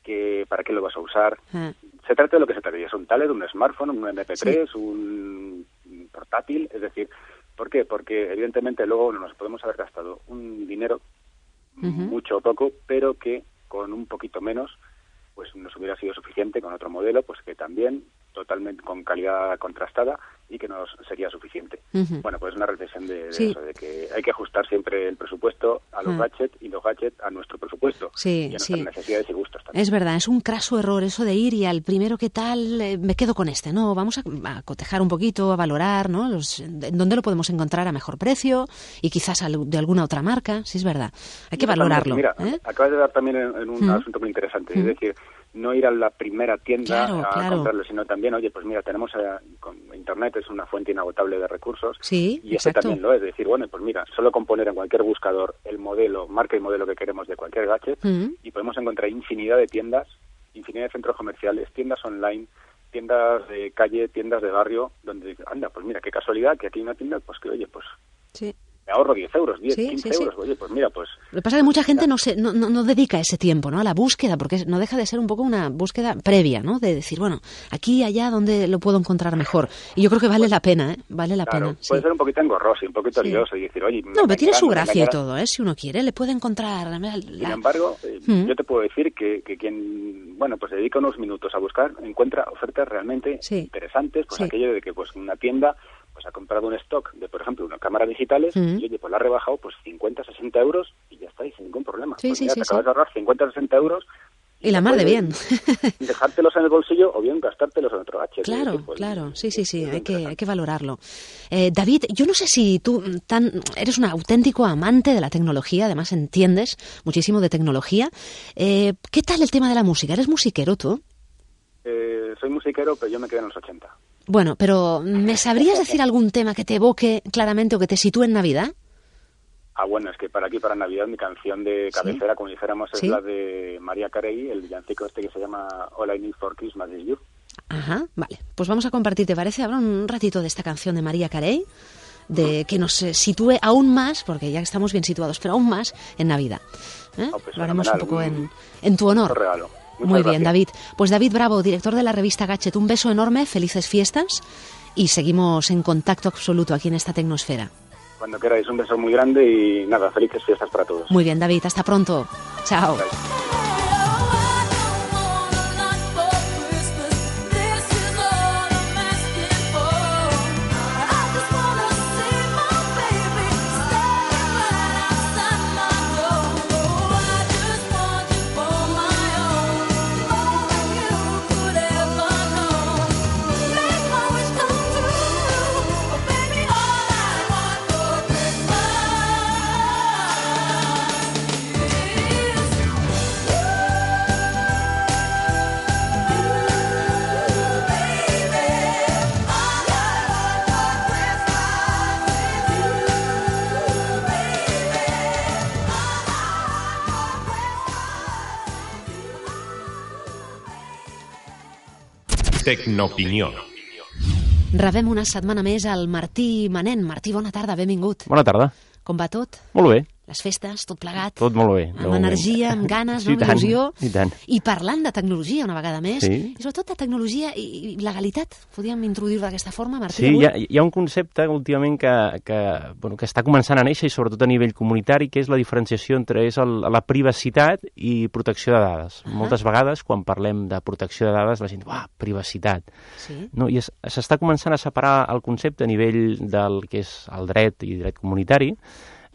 qué, para qué lo vas a usar. Ah. Se trata de lo que se trate, es un tablet, un smartphone, un eme pe tres, un portátil, es decir, ¿por qué? Porque evidentemente luego nos podemos haber gastado un dinero, Ujú. mucho o poco, pero que con un poquito menos pues nos hubiera sido suficiente con otro modelo, pues que también totalmente con calidad contrastada y que nos sería suficiente. Ujú. Bueno, pues una reflexión de, de Sí. eso, de que hay que ajustar siempre el presupuesto a los Mm. gadgets y los gadgets a nuestro presupuesto Sí, y a nuestras sí. necesidades y gustos también. Es verdad, es un craso error eso de ir y al primero que tal eh, me quedo con este. No, vamos a, a cotejar un poquito, a valorar, ¿no? Los, en dónde lo podemos encontrar a mejor precio y quizás al- de alguna otra marca. Sí, es verdad. Hay que Mira, valorarlo. Mira, ¿eh? acabas de dar también en, en un Mm. asunto muy interesante, Mm. es decir, no ir a la primera tienda Claro, a claro. comprarlo, sino también, oye, pues mira, tenemos eh, con Internet, es una fuente inagotable de recursos, Sí, y este exacto. también lo es, decir, bueno, pues mira, solo con poner en cualquier buscador el modelo, marca y modelo que queremos de cualquier gadget, Mm. y podemos encontrar infinidad de tiendas, infinidad de centros comerciales, tiendas online, tiendas de calle, tiendas de barrio, donde, anda, pues mira, qué casualidad que aquí hay una tienda, pues que, oye, pues Sí. me ahorro diez euros, diez, Sí, quince sí, sí. euros, oye, pues mira, pues... Lo que pasa es que mucha gente no, se, no, no, no dedica ese tiempo, ¿no? A la búsqueda, porque no deja de ser un poco una búsqueda previa, ¿no? De decir, bueno, aquí, allá, donde lo puedo encontrar mejor. Y yo creo que vale la pena, ¿eh? Vale la Claro, pena. Sí. puede ser un poquito engorroso y un poquito Sí. lioso y decir, oye... me No, pero tiene su engañarán, me gracia y engañarán. todo, ¿eh? Si uno quiere, le puede encontrar... la- Sin embargo, eh, Mm. yo te puedo decir que, que quien, bueno, pues dedica unos minutos a buscar, encuentra ofertas realmente Sí. interesantes, pues Sí. aquello de que pues una tienda pues ha comprado un stock de, por ejemplo, unas cámaras digitales Mm. y, oye, pues la ha rebajado pues cincuenta, sesenta euros y ya está, y sin ningún problema. Sí, Pues sí, mira, sí, te sí. acabas de ahorrar cincuenta, sesenta euros Y la mar de puedes bien. dejártelos en el bolsillo o bien gastártelos en otro gadget. Claro, Es decir, pues, claro, sí, sí, sí, es hay que, interesante. hay que valorarlo. Eh, David, yo no sé si tú mm, tan, eres un auténtico amante de la tecnología, además entiendes muchísimo de tecnología. Eh, ¿Qué tal el tema de la música? ¿Eres musiquero tú? Eh, soy musiquero, pero yo me quedé en los ochenta. Bueno, pero ¿me sabrías decir algún tema que te evoque claramente o que te sitúe en Navidad? Ah, bueno, es que para aquí, para Navidad, mi canción de cabecera, como dijéramos, es ¿Sí? la de María Carey, el villancico este que se llama All I Need for Christmas is You. Ajá, vale. Pues vamos a compartir, ¿te parece? Ahora un ratito de esta canción de María Carey, de que nos eh, sitúe aún más, porque ya estamos bien situados, pero aún más en Navidad. ¿Eh? Oh, pues Lo haremos un fenomenal, poco un- en, en tu honor. Un regalo. Muchas Muy bien, gracias. David. Pues David Bravo, director de la revista Gadget, un beso enorme, felices fiestas y seguimos en contacto absoluto aquí en esta tecnosfera. Cuando queráis, un beso muy grande y nada, felices fiestas para todos. Muy bien, David, hasta pronto. Chao. Bye. Tecnoopinió. Rebem una setmana més al Martí Manent. Martí, bona tarda, benvingut. Bona tarda. Com va tot? Molt bé. Les festes, tot plegat? Tot molt bé. Amb energia, amb ganes, Sí, no? amb tant, il·lusió. i tant. I parlant de tecnologia una vegada més, Sí. i sobretot de tecnologia i, i legalitat. Podríem introduir-ho d'aquesta forma, Martí? Sí, avui? hi ha, hi ha un concepte últimament que, que, bueno, que està començant a néixer, i sobretot a nivell comunitari, que és la diferenciació entre és el, la privacitat i protecció de dades. Ah. Moltes vegades, quan parlem de protecció de dades, la gent diu, ah, privacitat. Sí. No, I es- s'està començant a separar el concepte a nivell del que és el dret i dret comunitari,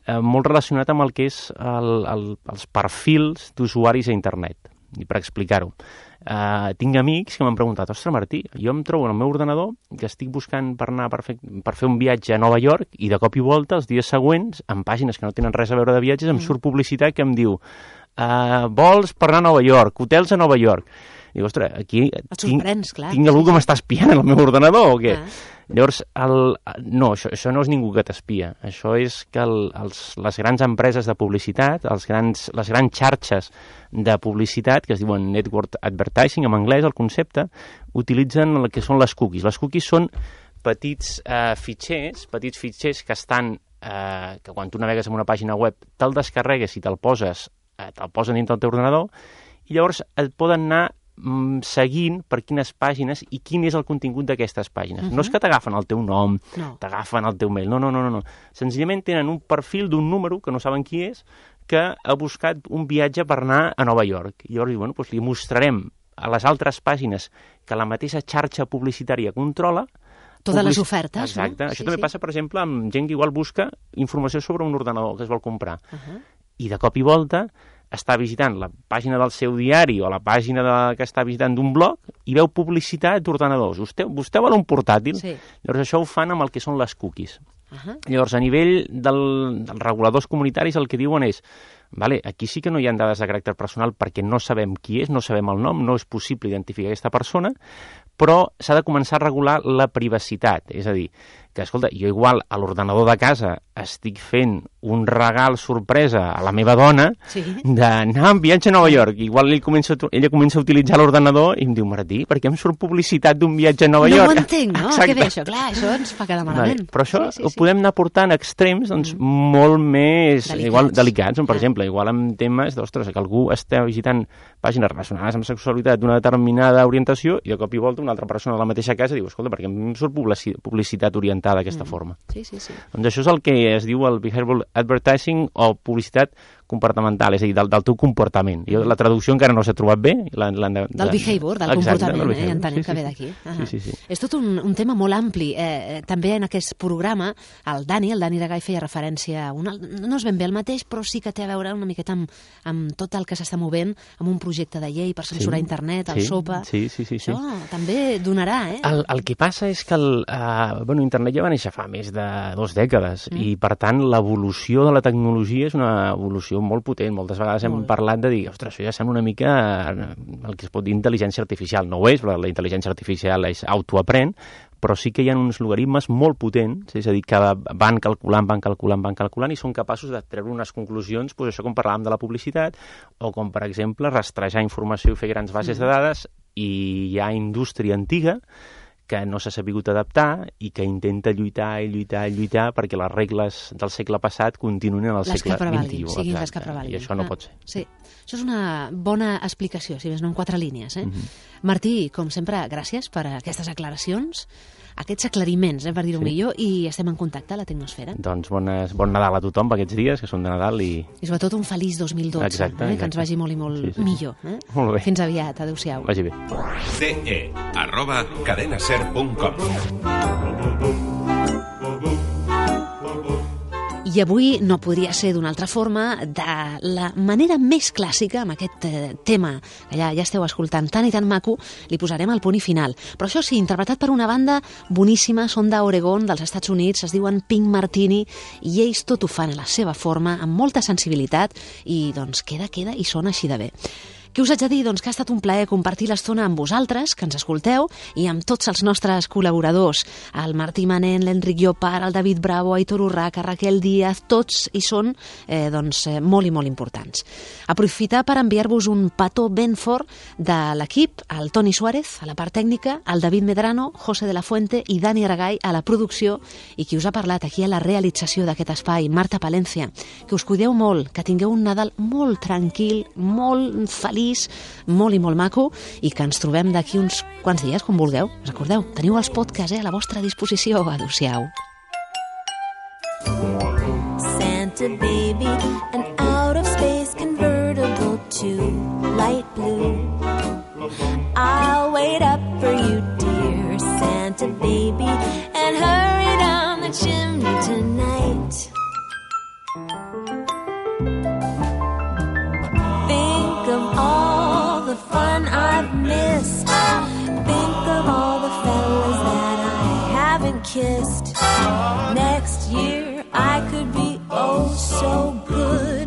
eh, molt relacionat amb el que és el, el, els perfils d'usuaris a internet. I per explicar-ho, uh, tinc amics que m'han preguntat, ostres, Martí, jo em trobo en el meu ordenador que estic buscant per anar per fer, per fer un viatge a Nova York i de cop i volta, els dies següents, en pàgines que no tenen res a veure de viatges, em surt publicitat que em diu uh, vols per anar a Nova York, hotels a Nova York. Dic, ostres, aquí tinc, clar, tinc algú que m'està espiant en el meu ordenador o què? Ah. Llavors, el, no, això, això no és ningú que t'espia. Això és que el, els, les grans empreses de publicitat, els grans, les grans xarxes de publicitat, que es diuen network advertising en anglès, el concepte, utilitzen el que són les cookies. Les cookies són petits eh, fitxers, petits fitxers que estan, eh, que quan tu navegues en una pàgina web te'l descarregues i te'l poses, eh, te'l posen dintre del teu ordenador, i llavors et poden anar seguint per quines pàgines i quin és el contingut d'aquestes pàgines. Uh-huh. No és que t'agafen el teu nom, no. t'agafen el teu mail, no, no, no, no. Senzillament tenen un perfil d'un número que no saben qui és, que ha buscat un viatge per anar a Nova York. I llavors, bueno, doncs li mostrarem a les altres pàgines que la mateixa xarxa publicitària controla totes public... les ofertes, Exacte. no? Això sí, també sí. passa, per exemple, amb gent que igual busca informació sobre un ordenador que es vol comprar. Uh-huh. I de cop i volta està visitant la pàgina del seu diari o la pàgina de, que està visitant d'un blog i veu publicitat d'ordenadors. Vostè, vostè vol un portàtil? Sí. Llavors això ho fan amb el que són les cookies. Uh-huh. Llavors, a nivell del, dels reguladors comunitaris, el que diuen és vale, aquí sí que no hi ha dades de caràcter personal perquè no sabem qui és, no sabem el nom, no és possible identificar aquesta persona, però s'ha de començar a regular la privacitat. És a dir, que, escolta, jo igual a l'ordenador de casa estic fent un regal sorpresa a la meva dona sí. d'anar en viatge a Nova York. Igual ell comença, ella comença a utilitzar l'ordenador i em diu, Martí, per què em surt publicitat d'un viatge a Nova no York? No ho entenc, no? Exacte. Què bé, això? Clar, això ens fa quedar malament. Vale. Però això sí, sí, ho sí. podem anar portant a extrems doncs, mm. molt més delicats. Igual, delicats. Per ah. exemple, igual amb temes d'ostres, que algú està visitant pàgines relacionades amb sexualitat d'una determinada orientació i de cop i volta una altra persona de la mateixa casa diu, escolta, perquè em surt publicitat orientada d'aquesta mm. forma. Sí, sí, sí. Doncs això és el que es diu el behavioral advertising o publicitat comportamental, és a dir, del, del teu comportament. Jo, la traducció encara no s'ha trobat bé. La, la, la, del behavior, del exacte, comportament, del eh? Entenem sí, que sí, ve d'aquí. Uh-huh. Sí, sí, sí. És tot un, un tema molt ampli. Eh, també en aquest programa, el Dani, el Dani de Gai feia referència a una, no és ben bé el mateix, però sí que té a veure una miqueta amb, amb tot el que s'està movent, amb un projecte de llei per censurar sí, internet, el sí, SOPA. Sí, sí, sí, sí. Això sí. també donarà, eh? El, el que passa és que el, uh, bueno, internet ja va néixer fa més de dues dècades mm. i, per tant, l'evolució de la tecnologia és una evolució molt potent. Moltes vegades hem molt. parlat de dir, ostres, això ja sembla una mica el que es pot dir intel·ligència artificial. No ho és, però la intel·ligència artificial és autoaprèn, però sí que hi ha uns logaritmes molt potents, és a dir, que van calculant, van calculant, van calculant i són capaços de treure unes conclusions, doncs això com parlàvem de la publicitat, o com, per exemple, rastrejar informació i fer grans bases mm. de dades, i hi ha indústria antiga que no s'ha sabut adaptar i que intenta lluitar i lluitar i lluitar perquè les regles del segle passat continuïn en el les segle vint-i-u. Exacte. Les que prevalguin. I això no ah, pot ser. Sí, això és una bona explicació, si més no en quatre línies. Eh? Mm-hmm. Martí, com sempre, gràcies per aquestes aclaracions, aquests aclariments, eh, per dir-ho sí. millor, i estem en contacte a la Tecnosfera. Doncs bones, bon Nadal a tothom per aquests dies, que són de Nadal i... I sobretot un feliç dos mil dotze, exacte, eh, exacte. que ens vagi molt i molt sí, sí, sí. millor. Eh? Molt bé. Fins aviat, adéu-siau. Vagi bé. ce arroba cadenaser punt com I avui no podria ser d'una altra forma, de la manera més clàssica, amb aquest eh, tema que ja, ja esteu escoltant tan i tan maco, li posarem el punt i final. Però això sí, interpretat per una banda boníssima, són d'Oregon, dels Estats Units, es diuen Pink Martini, i ells tot ho fan a la seva forma, amb molta sensibilitat, i doncs queda, queda i sona així de bé. Què us haig de dir? Doncs que ha estat un plaer compartir l'estona amb vosaltres, que ens escolteu, i amb tots els nostres col·laboradors, el Martí Manent, l'Enric Llopart, el David Bravo, Aitor Urraca, Raquel Díaz, tots hi són eh, doncs, eh, molt i molt importants. Aprofitar per enviar-vos un petó ben fort de l'equip, el Toni Suárez, a la part tècnica, el David Medrano, José de la Fuente i Dani Aragay a la producció, i qui us ha parlat aquí a la realització d'aquest espai, Marta Palencia. Que us cuideu molt, que tingueu un Nadal molt tranquil, molt feliç, molt i molt maco, i que ens trobem d'aquí uns quants dies, com vulgueu. Recordeu, teniu els podcasts eh, a la vostra disposició. Adéu-siau. Santa baby, an out-of-space convertible to light blue. I'll wait up for you, dear Santa baby, and hurry down the chimney tonight. Think of all kissed. Next year I could be oh so good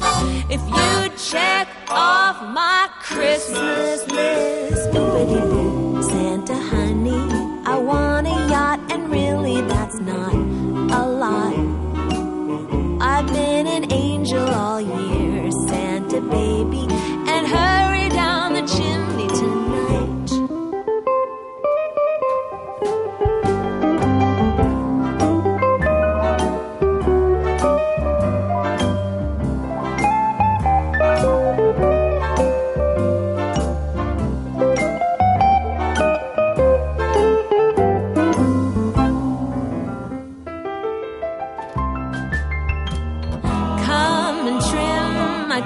if you'd check off my Christmas list. Boop-a-doo-doo. Santa honey, I want a yacht, and really that's not a lot. I've been an angel all year, Santa baby, and hurry down the chimney tonight.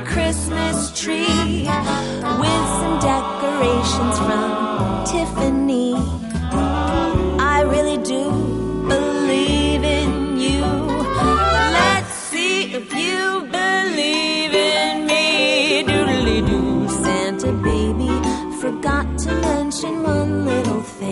Christmas tree with some decorations from Tiffany. I really do believe in you. Let's see if you believe in me. Doodly-doo, Santa baby, forgot to mention one little thing.